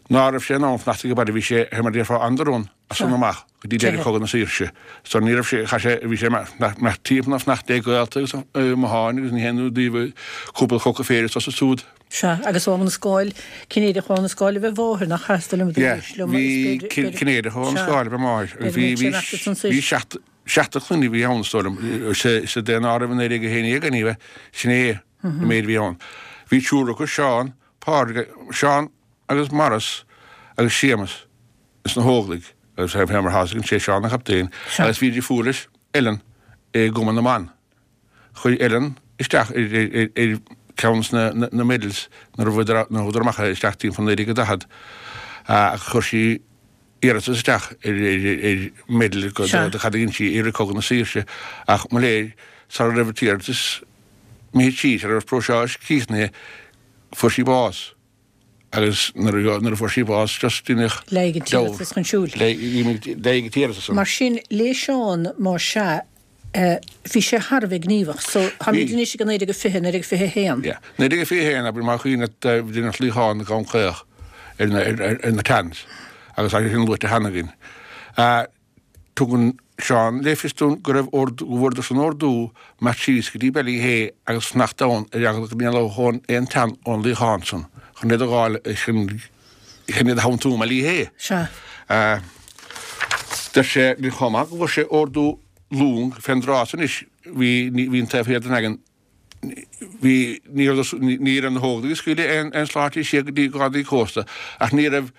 ná raibh sé in ann fanacht ag baile, bhí sé, mar a déarfá, on the run as san amach go dtí deireadh Chogadh na Saoirse. So ní raibh sé, chaith sé, bhí sé imeacht timpeall ag fanacht le gaolta agus matháin agus ní haon ionadh daoibh cúpla coca féir is as súd. Sea, agus ó Abha na Scáil, Cinnéideach ó Abha na Scáil ab ea a mháthair, nach ea, is dóigh liom, Yeah, bhí Cinnéideach ó Abha na Scáil ab ea a máthair agus bhí, bhí, bhí seacht, seachtar clainne a bhí ann is dóigh liom, sa daonáireamh i 1911 anyway, sin é. an méid a bhí ann. Bhí triúr acu, Seán, Pádraig, Seán agus Maurice agus Séamus ins na hÓglaigh agus fé mar atá a fhios againn sé Seán an chaptaen agus bhí deirfiúr leis, Ellen, i gCumann na mBan. Chuir Ellen isteach ar ceann de na medals nuair a thugadar amach é isteach timpeall 1940 ach chuir sí iarratas isteach ar medal do cad a dhein sí i rith Cogadh na Saoirse ach mo léir sara raibh an t-iarratas. Imithe síos, sara raibh an próiseas críochnaithe, fuair sí bás. Agus nuair a fuair sí bás, just deineadh Leig an t-iarratas chun siúil. Leig an t-iarratas. Mar sin, lé Seán, más ea, bhí sé thar a bheith gníomhach. So, táimid anois ag 1920, 1921. Yeah. 1921, abair, más cuimhin leat, deineadh luíochán i gCom Caoch ar na Tans agus tá sé sin luaite cheana againn. Tugann Seán le fios dúinn go raibh ordú, go bhfuaireadar-san ordú imeacht síos go dtí Ballyhea agus fanacht ann ar eagla go n-éalódh aon tan ón luíochán san chun iad a dh'fháil, chun iad a theanntú i mBallyhea. Sea. Deir sé linn chomh maith go bhfuair sé ordú long fén dtráth san anois, bhí, bhí an taobh thiar den Daingean, Bhí, ní raibh, ní raibh na hÓglaigh ag scaoileadh aon sláirtí siar go dtí Gardaí Cósta ach ní raibh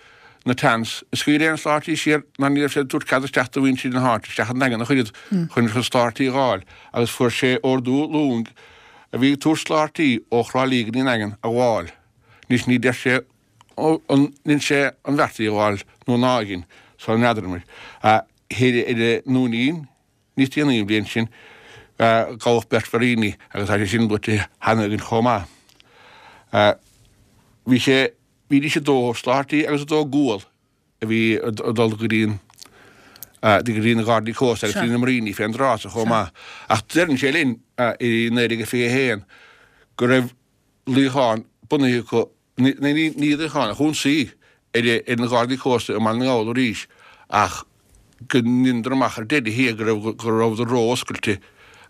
na Tans ag scaoileadh aon sláirtí siar ná ní raibh siad ag tabhairt cead isteach do mhuintir na háite isteach an Daingean ach oiread chun chun sláirtí a dh'fháil agus fuair sé ordú long a bhí ag tabhairt sláirtí ó Thrá Lí go dtí an Daingean a ghabháil. Anois ní deir sé an dhein sé an bheart í a ghabháil nó ná dhein, so n'fheadar muid. Thoir ar an nDúinín Níos déanaí an bhliain sin, gabhadh beirt mhuiríní agus tá sé sin luaite cheana againn chomh maith. Bhí sé, bhídís ag dó sláirtí agus ag dó gual a bhí ag dul go dtí an, go dtí na Gardaí Cósta agus go dtí na muiríní fén dtráth so chomh maith. Ach deireann sé linn i 1921 go raibh luíochán bunaithe acu Ní luíochán ach ionsaí ar na Gardaí Cósta i mBaile na nGall arís ach go ndeineadar amach ar deireadh thiar go raibh go rabhadar ró-oscailte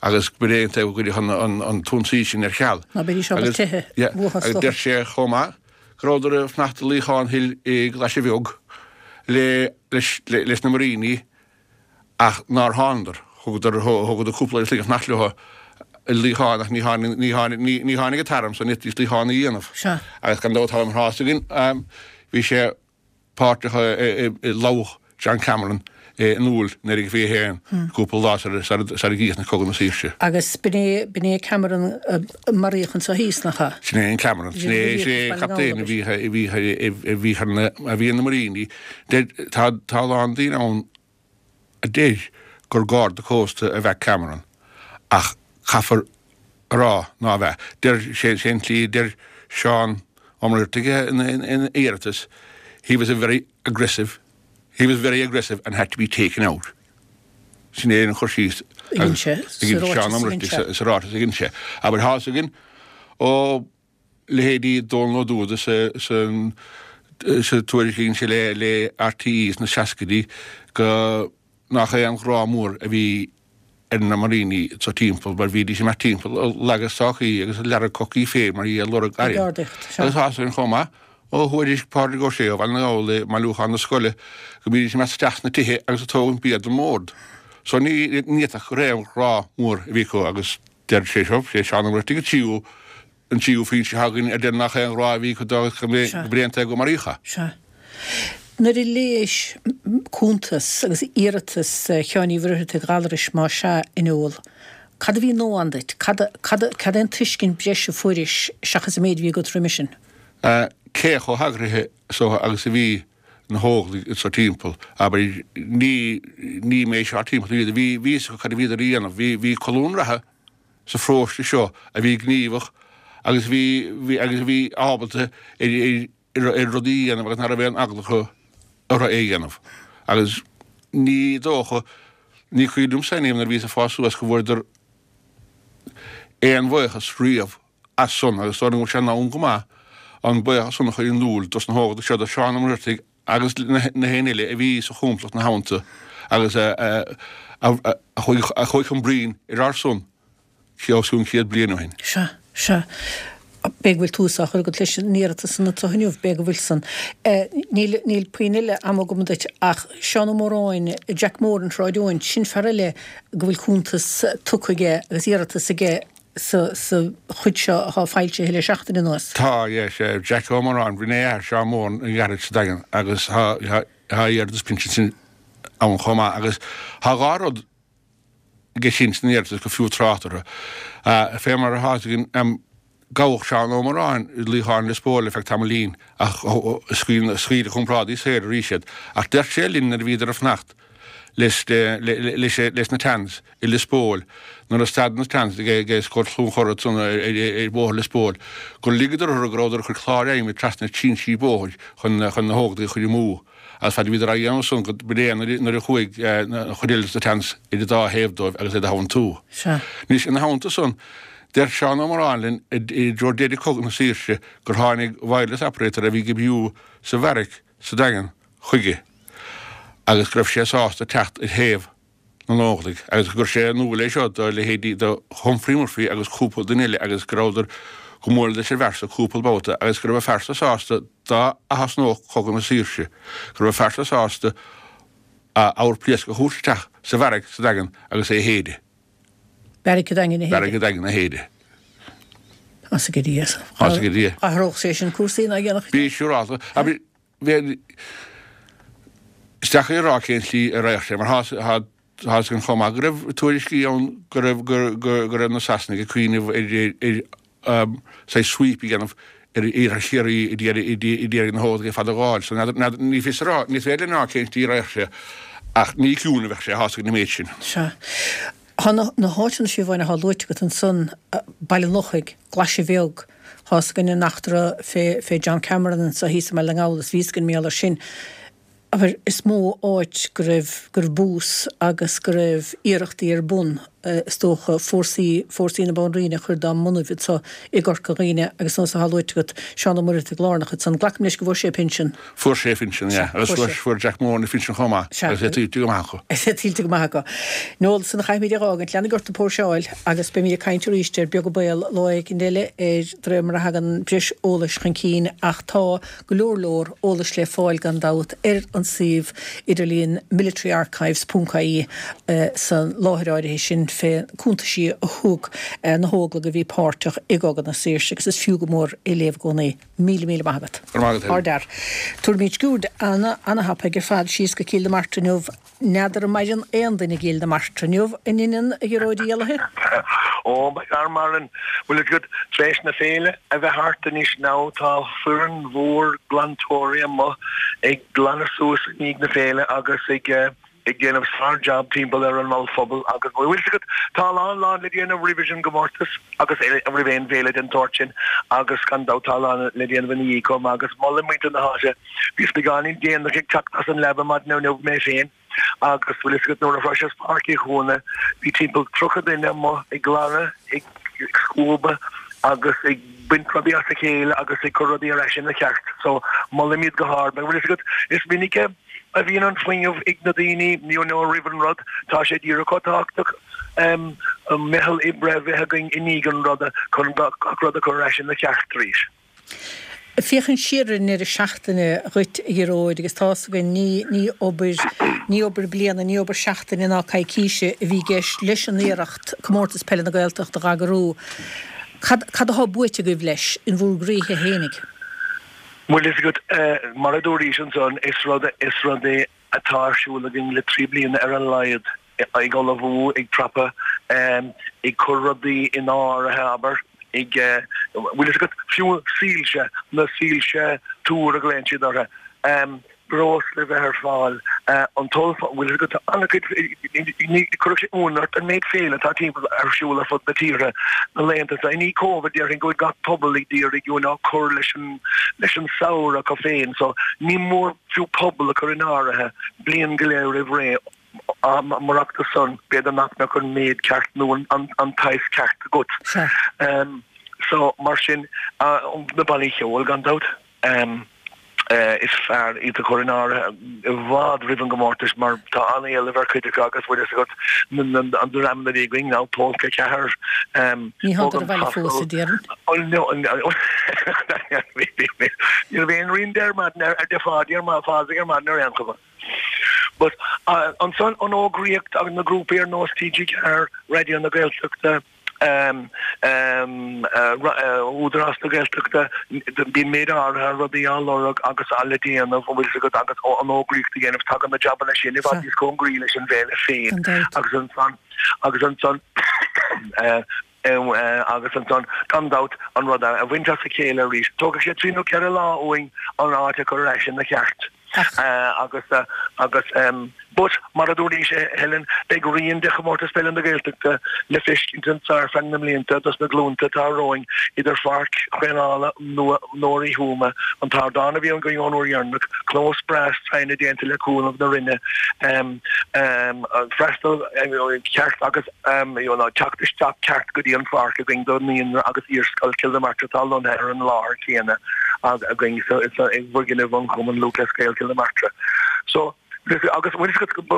agus gurb é an taobh a gcuirfeadh an t-ionsaí sin ar ceal. Ná beidís ábalta teitheadh uathu is dócha. Agus deir sé chomh maith go rabhadar ag fanacht i luíochán thoir i gClaise Bheag leis na muiríní ach nár thánadar. Thugadar, thugadar cúpla slí ag fanacht leo i luíochán ach ní tháinig, ní tháinig, ní, ní tháinig an t-arm so ní fhéadfaidís luíochán a dhéanamh. Sea. Agus gan dabht tá an tráth againn, bhí sé páirteach i, i, i lobhadh John Cameron in Iúil 1921, cúpla lá sar, sar, sar a gcríochnaigh Cogadh na Saoirse. Agus b'in é, b'in é Cameron a maraíodh anso thíos, nach ea? Sin é an Cameron. Sin é, sin é an captaen a bhí, a bhí, a bhí ar na, a bhí ar na muiríní. Deir, tá, tá a lán daoine ann a deir gur Garda Cósta ab ea Cameron, ach caithfear a rá nárbh ea. Deir sé, sé an tslí a deir Seán Ó Muircheartaigh ina iarratas, he was a very aggressive, he was very aggressive and had to be taken out. Sin é an cur síos a dhein sé sa ráiteas sa ráiteas a dhein sé. Abair, tá fhios againn ó leithéidí Dónal Ó Dúda sa sa tuairisc a dhein sé le le RTÉ sna seascaidí go nach aon ghrá mór a bhí ar na muiríní sa timpeall mar bhídís ag imeacht timpeall ag leagadh stocaí agus ag leagadh cocaí féin mar dhea ag lorg airm. Agus tá fhios againn chomh maith ó thuairisc Pádraig Ó Sé ó Bhaile na nGall i mbailiúchán na scoile go mbídís ag imeacht isteach sna tithe agus ag tógaint bia don mbord. So ní ní fhéadfadh gur aon ghrá mór a bhí acu agus Deir sé seo, sé Seán Ó Muircheartaigh an tríú, an tríú foinse atá againn a deir nach aon ghrá a bhí acu dó agus go mb'é an taobh go maraíodh é. Sea. Nuair a léis cuntas agus iarratas Sheáin Uí Mhuircheartaigh Ghallarais, más ea, in iúl, cad a bhí nua ann duit? Cad, cad, cad é an tuiscint breise a fuairis seachas an méid a bhí agat roimis sin? Cé chomh heagraithe so agus a bhí na hÓglaigh anso timpeall, abair, ní, ní mé seo timpeall iad, bhí, bhí fhios acu cad a bhíodar a dhéanamh, bhí, bhí colún reatha sa pharóiste seo a bhí gníomhach agus bhí, bhí, agus a bhí ábalta ar, ar, ar rudaí a dhéanamh agus ná raibh aon eagla acu orthu é a dhéanamh. Agus ní dócha, ní cuimhin liomsa in aon nuair a bhíos ag fás suas go bhfuaireadar aon bhuíochas riamh as san agus dóigh liom go bhfuil sé in am go maith an buíochas san a chur in iúl dos na hÓglaigh seo, do Sheán Ó Muircheartaigh agus na héinne eile a bhí sa chomplacht na hamanta agus a chuaigh chun broinn ar ár son os cionn 100 bliain ó shin. Sea, sea. B'fhéidir go bhfuil tús á chur agat leis an iarratas san anseo inniu, b'fhéidir go bhfuil san. Níl, níl puinn eile ama agam duit ach Seán Ó Móráin, Jack Mór an Shráid Eoin, sin fear eile go bhfuil cuntas tugtha aige agus iarratas aige sa chuid seo atá foilsithe le seachtain anuas. Tá, yeah, sea, Jack Ó Móráin, b'in é athair Seán Mór an ghearrtha sa Daingean agus tá, tá iarratas pinsin sin ann chomh maith agus tá dhá rud aige sin san iarratas gur fiú trácht orthu. Fé mar atá fhios againn, gabhadh Seán Ó Móráin i luíochán Lios Póil ar feadh tamaillín ach scaoil a chomrádaí saor arís iad. Ach deir sé linn nuair a bhíodar ag fanacht leis, leis na Tans i Lios Póil. Nuair a stad an seans ag Scór Chluain Chora ansan ar Bhóthar Lios Póil, gur ligeadar orthu go rabhadar ag cur clár adhmaid trasna trinsí bóthair chun na hÓglaigh a chur amú. Agus fad a bhíodar á dhéanamh san go b'in é nuair a chuaigh an chuid eile de seans ar an dá thaobh dóibh agus iad a theanntú. Anois, ina theannta san, deir Seán Ó Moráin linn i dtreo deireadh Cogadh na Saoirse gur tháinig wireless operator a bhí ag oibriú sa bheairic sa Daingean chuige agus go raibh sé sásta teacht ar thaobh na nÓglaigh agus gur chuir sé in iúl é seo do leithéidí do Humphrey Murphy agus cúpla duine eile agus go rabhadar go mbualadh leis an bhfear so cúpla babhta agus go raibh an fear so sásta dá athosnódh Cogadh na Saoirse go raibh an fear so sásta a abhar pléascach a thabhairt isteach sa bheairic sa Daingean agus é a shéideadh. Beairic an Daingin a shéideadh. Beairic an Daingin a shéideadh. As ag Dia. As ag Dia. Athródh sé sin cúrsaí ná dhéanfadh. Bí siúrálta. Is deacair a rá cén tslí a raghadh sé, mar tá a fhios againn chomh maith go raibh tuairiscí ann go raibh go raibh na Sasanaigh ag cuimhneamh ar ar saghas sweep a dhéanamh ar iarthar Chiarraí a d'iarraidh na hÓglaigh ar fad a ghabháil. So n'fheadar, ní fios a rá, ní féidir linn a rá cén tslí a raghadh sé ach ní ciúin a bheadh sé, tá a fhios againn an méid sin. Sea. Tá na háiteanna Siobháin atá luaite agat ansan, Baile an Lochaigh, Glaise Bheag, tá fhios againn an eachtra fé fé John Cameron anso thíos i mBaile na nGall is bhí fhios againn mar gheall air sin. Abair, is mó áit go raibh, go raibh bús agus go raibh iarrachtaí ar bun, is dócha, fórsaí, fórsaí na Banríona a chur dá mbonaibh anso i gCorca Dhuibhne agus nós atá luaite agat, Seán Ó Muircheartaigh lárnach ansan. Glacaim leis go bhfuair sé a phinsean. Fuair sé a phinsean, yeah. Agus fuair, fuair Jack Moran a phinsean chomh maith. Sea. Agus é tuillte go maith acu. Is é tuillte go maith acu. Noel, san a chaithfimid é a dh'fhágaint. Leanaigí ort ag póirseáil agus beimid ag caint arís ar Beag an Baol lá éicint eile ar de réir mar a thagann breis eolais chun cinn ach tá go leor leor eolais le fáil gan dabht ar an suíomh idirlíon militaryarchives ponc ie san láthair áirithe sin fé cuntaisí a thug na hÓglaigh a bhí páirteach i gCogadh na Saoirse agus is fiú go mór é léamh i gcónaí. Míle míle maith agat. Go raibh maith agat, Helen. Ardfhear. Tabharfaimid sciuird ana, ana-thapaidh ar fad síos go Cill na Martra inniu. N'fheadar an maireann aon duine i gCill na Martra inniu, an ionann, a Ghearóid Uí Éallaithe? Ó, beidh fear maireann. Bhfuil fhios agat, tar éis na féile a bheith thart anois now tá foireann mhór glantóirí amuigh ag glanadh suas i ndiaidh na féile agus ag eh, ag déanamh sár-jab timpeall ar an ollphuball agus bhfuil fhios agat, tá a lán lán le déanamh roimhe an gcomórtas agus roimh aon bhféile den tsórt sin agus gan dabht tá a lán le déanamh ina dhiaidh chomh maith agus molaim muintir na háite. Bhíos beagáinín déanach ag teacht as an leaba maidin inniu mé féin agus bhfuil fhios agat nuair a shroiseas Páirc Uí Chuana bhí timpeall 30 duine amuigh ag glanadh, ag scuabadh agus ag baint rudaí as a chéile agus ag cur rudaí ar ais ina cheart. So molaim iad go hard mar bhfuil fhios agat is minic a a bhíonn an fuinneamh ag na daoine you know roimh an rud, tá sé díreach chomh tábhachtach meitheal oibre a bheith againn i ndiaidh an ruda chun gach rud a chur ar ais ina cheart arís. Féachaint siar ar an ndeireadh seachtaine dhuit, a Ghearóid, agus tá's againn, ní, ní obair, ní obair bliana, ní obair seachtaine ná coicíse a bhí i gceist leis an iarracht Comórtas Peile na Gaeltachta a dh'eagrú. Cad, cad athá buaite agaibh leis, in bhúr gcroíthe fhéinig? Bhfuil fhios agat, mar a dúraís ansan, is rud, is rud é atá ar siúl againn le 3 bliana ar a laghad, ag ullmhú, ag prapadh, ag cur rudaí in áirithe, abair, ag, bhfuil fhios agat, fiú soilse, na soilse túir a ghlaonn siad orthu. breosla a bheith ar fáil, an t-oll, bhfuil fhios agat, tá an-chuid, ní, chuirfeadh sé ionadh ort an méid féile atá timpeall ar siúl ar fud na tíre na laethanta seo. I ndiaidh Covid, déarfainn go bhfuil gach pobal ag iarraidh you know cur leis an, leis an samhradh acu féin so ní mór fiú pobal a chur in áirithe bliain go leith roimh ré. Murach san, b'fhéidir nach mbeadh an méid ceart nó an saghas ceart agat. So mar sin, na bannaí ceoil gan dabht. Is fearr iad a chur in áirithe i bhfad roimh an gcomórtas mar tá an-éileamh ar chuid acu agus bhfuil fhios agat na dreamanna a bhí againn now, Polca 4, Ní thánadar abhaile fós, a déarfainn. Ní raibh aon rian de ar maidin ar de Pháidí ar Phádraig ar maidin ar aon chuma. But ansan an fhógraíocht agus na grúpaí ar nós TG4, Raidió na Gaeltachta, Údarás na Gaeltachta, bíonn méid áirithe rudaí á lorg agus á le déanamh, an bhfuil fhios agat, agus an fhógraíocht a dhéanamh, tagann na jabanna sin i bhfad níos cóngaraí leis an bhféile féin agus ansan, agus ansan, agus ansan, gan dabht, an rud a bhaint as a chéile arís. Tógfaidh sé trí nó ceithre lá uainn an áit a chur ar ais ina cheart. Agus, agus. But, mar a dúraís, a Helen, beidh rian de Chomórtas Peile na Gaeltachta le feiscint anso ar feadh na mblianta dos na glúnta atá romhainn idir pháirc thraenála nua Uí Thuama, an t-ardán a bhí againn ón uair dheireanach, clós breá stroighne déanta le cúnamh na Roinne, freastal ceart agus teacht isteach ceart go dtí an pháirc againn do Naíonra agus Iarscoil Chill na Martra atá lonnaithe ar an láthair chéanna againn i bhfoirgneamh an Chumann Lúthchleas Gael Cill na Martra. So, agus bhfuil a fhios agat,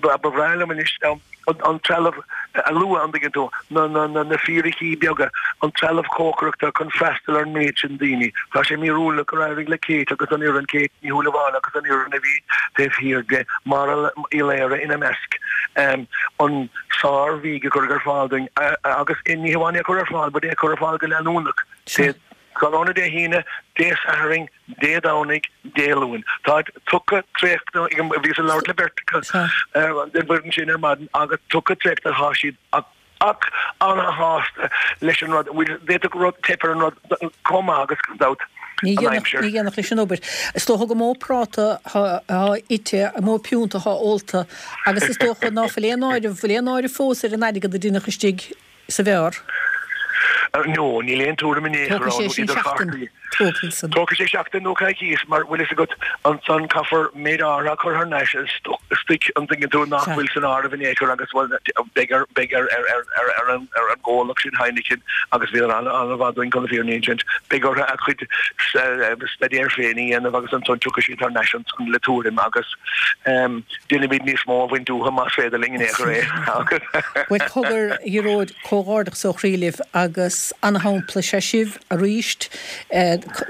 ba bhreá liom anois an trealamh a lua, an dtuigeann tú, na fíricí beaga, an trealamh cócaireachta chun freastal ar an méid sin daoine. Tá sé míorúilteach gur éirigh le Kate agus an fhoireann, Kate Ní Shúilleabháin agus an fhoireann a bhí taobh thiar di, Máire Uí Laoire ina measc, an sár-bhídh a cuireadh ar fáil dúinn agus ní hamháin é a chur ar fáil but é a chur ar fáil go leanúnach. Tráthnóna Dé hAoine, Dé Sathairn, Dé Domhnaigh, Dé Luain. Tá tugtha traochta, bhíos ag labhairt le beirt acu den bhfoireann sin ar maidin agus tugtha traochta tá siad ach ana-shásta leis an rud. D'fhéadfadh rud teip ar an rud chomh maith agus gan dabht Ní an aimsir. Ní dhéanfadh leis an obair. Is dócha gur mó práta atá ite, mó piúnta atá ólta agus is dócha ná fuil aon áireamh, bhfuil aon áireamh fós ar an airgead a deineadh istigh sa bheár. No, níl aon tuairim in aon chor Tógfaidh sé ann sin idir seachtain. chártaí. Tógfaidh san. Tógfaidh sé seachtain nó coicís mar bhfuil fhios agat ansan caithfear méid áirithe a chur thar n-ais istoic an dtuigeann tú nach Sea. bhfuil san áireamh in aon chor agus bhuel beidh ar beidh ar ar ar ar ar an ar an gcomhlacht sin Heineken agus bhíodar ana an-mhaith dúinn chun na fírinne a insint beidh orthu a gcuid staidéir féin a dhéanamh agus ansan tiocfaidh siad thar n-ais ansan le tuairim agus déanfaimid níos mó a bhaint uathu más féidir linn in aon chor é agus. Bhuel cogar a Ghearóid, comhghairdeachas ó chroí libh agus ana-shampla is ea sibh arís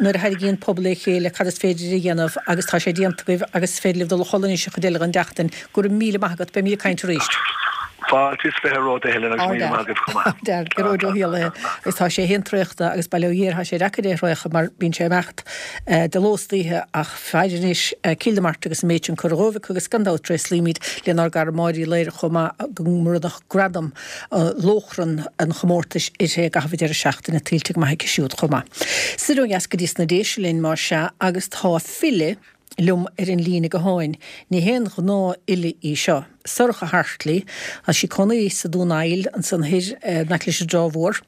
nuair a tharraingíonn pobal le chéile cad is féidir a dhéanamh agus tá sé déanta agaibh agus is féidir libh dul a chodladh anois an chuid eile den tseachtain. Go raibh míle maith agat, beimid ag caint arís. Fáilte is 20 romhat a Helen agus míle maith agaibh chomh maith. Ardfhear, Gearóid Ó hÉallaithe agus tá sé féin traochta agus bail ó Dhia air tá sé deacair é a thraochadh mar bíonn sé ag imeacht de ló is d'oíche ach faire anois Cill na Martra agus an méid sin curtha dhóibh acu agus gan dabht tréaslaímid lenár gcara Máire Uí Laoire chomh maith go mbronnadh gradam lóchrann an chomórtais uirthi i gcaitheamh an deireadh seachtaine, tuillte go maith aici siúd chomh maith. Soir ó dheas go dtí sna Déise linn más ea agus tá file liom ar an líne gutháin. Ní haon ghnáthfhile í seo. Sorcha Hartley, tá sí cónaí sa Dún Aill ansan thoir in aice leis an dTrá Mhór.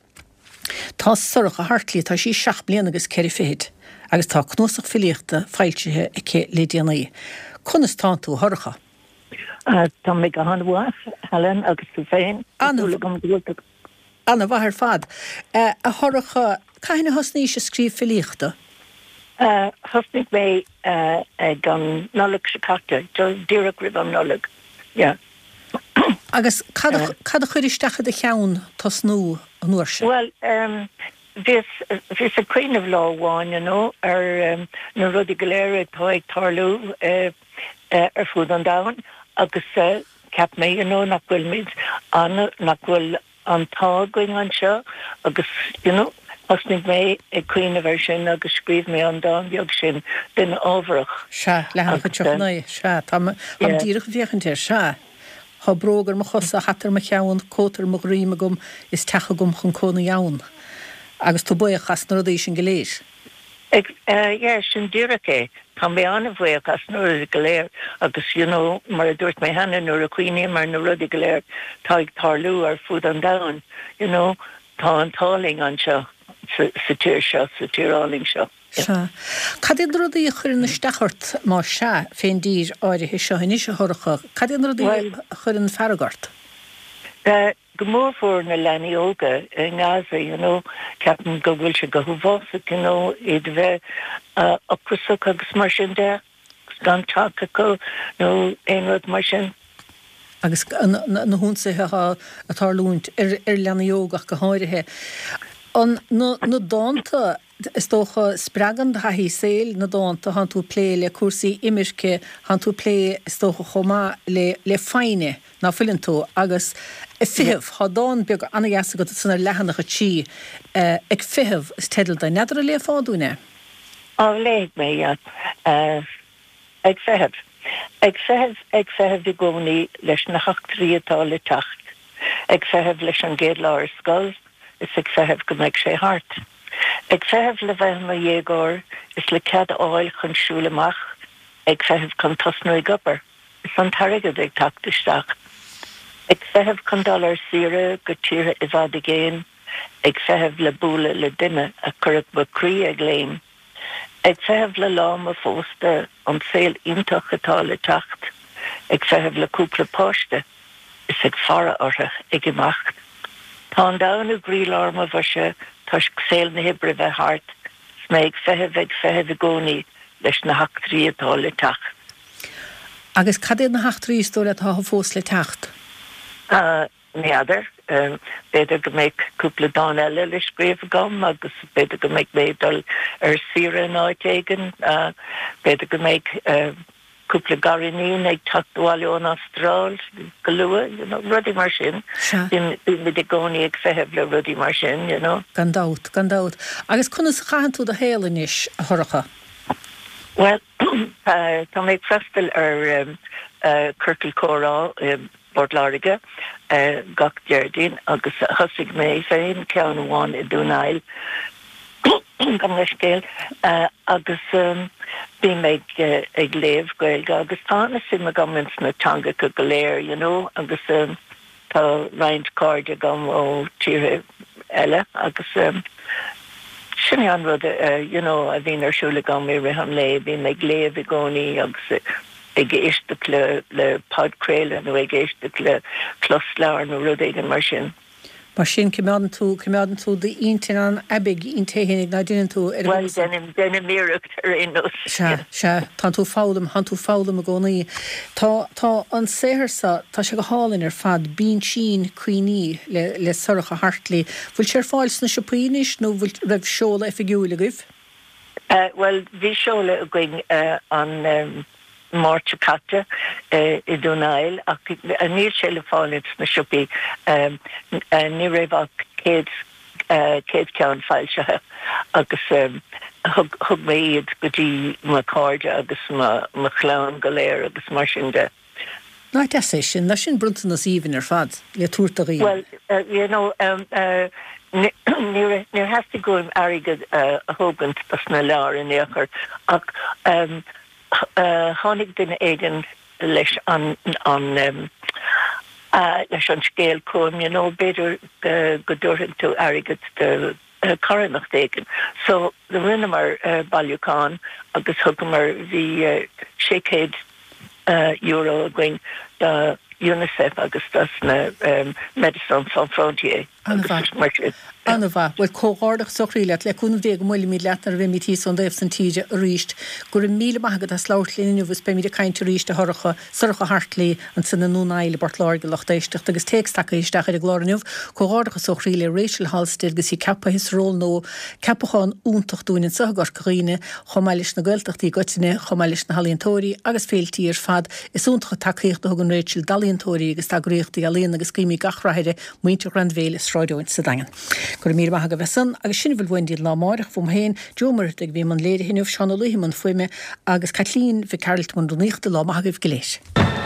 Tá Sorcha Hartley, tá sí seacht mbliana agus ceithre fichid agus tá cnuasach filíochta foilsithe aici le déanaí. Conas tánn tú, a Shorcha? Tá mé go han-mhaith, Helen, agus tú féin? Tá súil agam go bhfuil tú. An-mhaith ar fad. A Shorcha, cathain a thosnaís ag scríobh filíochta? Thosnaigh mé ag an Nollaig seo caite, díreach roimh an Nollaig, yeah. Agus cad a chuir isteach i do cheann tosnú an uair sin? Bhuel, bhíos, bhíos ag cuimhneamh lá amháin, you know, ar na rudaí go léir atá ag tarlú ar fud an domhain agus cheap mé, you know, nach bhfuilimid an, nach bhfuil an t-ádh againn anseo agus, you know, thosnaigh mé ag cuimhneamh air sin agus scríobh mé an dán beag sin, Duine Ámharach. Sea, leathanach 39, sea, táim, táim díreach ag féachaint air, sea. Tá bróg ar mo chosa, hata ar mo cheann, cóta ar mo dhroim agam is teach agam chun cónaí ann. Agus tú buíoch as na rudaí sin go léir. Yeah, sin díreach é. Tá mé an-bhuíoch as na rudaí go léir agus you know mar a dúirt mé cheana nuair a chuimhním ar na rudaí go léir atá ag tarlú ar fud an domhain, you know, tá an t-ádh linn anseo sa tír seo, sa tír álainn seo. Sea. Cad iad na rudaí a chuireann isteach ort, más ea, fén dtír áirithe seo anois, a Shorcha? Cad iad na rudaí a chuireann fearg ort? Go mór mhór na leanaí óga i nGaza, you know, ceapaim go bhfuil sé go huafásach, you know, iad a bheith ocrasach agus mar sin de, agus gan teach acu nó aon rud mar sin. Agus na hionsaithe atá ag tarlúint ar leanaí óga ach go háirithe. An, na, na dánta, is dócha, spreagann do thaithí saoil na dánta, thánn tú ag plé le cúrsaí imirce, thánn tú ag plé, is dócha, chomh maith le, le foighne. Ná fuileann tú? Agus Ag Feitheamh, thá dán beag ana-dheas agat ansan ar leathanach 3, Ag Feitheamh is teideal do. N'fheadar an léifeá dúinn é? Á, léifidh mé, yeah. Ag Feitheamh. Ag feitheamh, ag feitheamh i gcónaí leis na heachtraí atá le teacht. Ag feitheamh leis an gcéad lá ar scoil is ag feitheamh go mbeidh sé thart. Ag feitheamh le bheith i mo dhéagóir is le cead a fháil chun siúl amach. Ag feitheamh chun tosnú ag obair. Is an t-airgead ag teacht isteach. Ag feitheamh chun dul ar saoire go tíortha i bhfad i gcéin, ag feitheamh le bualadh le duine a chuirfeadh mo chroí ag léim. Ag feitheamh le lá mo phósta, an saol iontach atá le teacht, ag feitheamh le cúpla páiste is ag faire orthu ag imeacht. Tá an domhan i gcroílár mo bhoise toisc saol na hoibre bheith thart 's mé ag feitheamh ag feitheamh i gcónaí leis na heachtraí atá le teacht. Agus cad iad na heachtraí is dóigh leat atá fós le teacht? Ní fheadar. B'fhéidir go mbeidh cúpla dán eile le scríobh agam agus b'fhéidir go mbeidh mé ag dul ar saoire in áit éigin. B'fhéidir go mbeidh cúpla gariníon ag teacht abhaile ón Astráil go luath, you know, rudaí mar sin. Sea. Bímid i gcónaí ag feitheamh le rudaí mar sin, you know. Gan dabht, gan dabht. Agus conas a chaitheann tú do shaol anois, a Shorcha? Bhuel, tá mé ag freastal ar Ciorcal Comhrá i bPort Láirge gach Déardaoin agus thosaigh mé féin ceann amháin i Dún Aill, gabh mo leithscéal, agus bím ag ag léamh Gaeilge agus tá an-suim agam ins na teangacha go léir, you know, agus tá roinnt cairde agam ó tíortha eile agus sin é an rud, you know, a bhíonn ar siúl agam i rith an lae, bím ag léamh i gcónaí agus ag éisteacht le le podchraoladh nó ag éisteacht le closleabhar nó rud éigin mar sin. Mar sin, coimeádann tú, coimeádann tú d'intinn an-aibidh inti fhéinig ná deineann tú ar Bhuel, deinim, deinim iarracht ar aon nós. Sea, sea, tánn tú ag foghlaim, tánn tú ag foghlaim i gcónaí. Tá, tá an saothar so, tá sé go hálainn ar fad, Binsín Cuimhní le, le Sorcha Hartley. Bhfuil sé ar fáil sna siopaí anois nó bhfuil, raibh seoladh oifigiúil agaibh? Bhuel, bhí seoladh againn an Máirt seo caite i Dún Aill ach níl sé le fáil ins na siopaí. Ní raibh ach 100 ceann foilsithe agus thug mé iad go dtí mo chairde agus mo chlann go léir agus mar sin de. Nach deas é sin? Ná sin bronntanas aoibhinn ar fad le tabhairt do dhaoine. Bhuel, you know, níor theastaigh uaim airgead a thógaint dos na leabhair in aon chor ach tháinig duine éigin leis an, an, leis an scéal chugam, you know, b'fhéidir go dtabharfaidh tú airgead do carthanacht éigin. So, rinneamar bailiúchán agus thugamar, bhí €600 againn do Unicef agus dos na Médecins Sans Frontières agus mar sin. An-mhaith. Bhuel, comhghairdeachas ó chroí leat. Le cúnamh Dé go mbuailfimid leat nuair a bheimid thíos ón dtaobh san tíre arís. Go raibh míle maith agat as labhairt linn inniu is beimid ag caint arís, a Shorcha. Sorcha Hartley ansan i nDún Aill i bPort Láirge, lucht éisteachta agus téacs tagtha isteach ar an gclár inniu. Comhghairdeachas ó chroí le Rachel Halstead agus í ceaptha sa ról nua. Ceapachán iontach dúinn anseo i gCorca Dhuibhne, chomh maith leis na Gaeltachtaí i gcoitinne, chomh maith leis na healaíontóirí agus féiltí ar fad. Is iontach an tacaíocht a thugann Rachel d'ealaíontóirí agus d'eagraíochtaí ealaíon agus guímid gach rath uirthi, muintir Ghrainbhéile, Sráid Eoin sa Daingean. Go raibh míle maith agaibh as san, agus sin a bhfuil uainn dtí'n lá amáireach, uaim féin, Joe Ó Muircheartaigh a bhí i mbun léirithe inniu, Seán Ó Laoithe i mbun fuaime, agus Caitlín Mhic Gearailt i mbun rúnaíochta, lá maith agaibh go léir.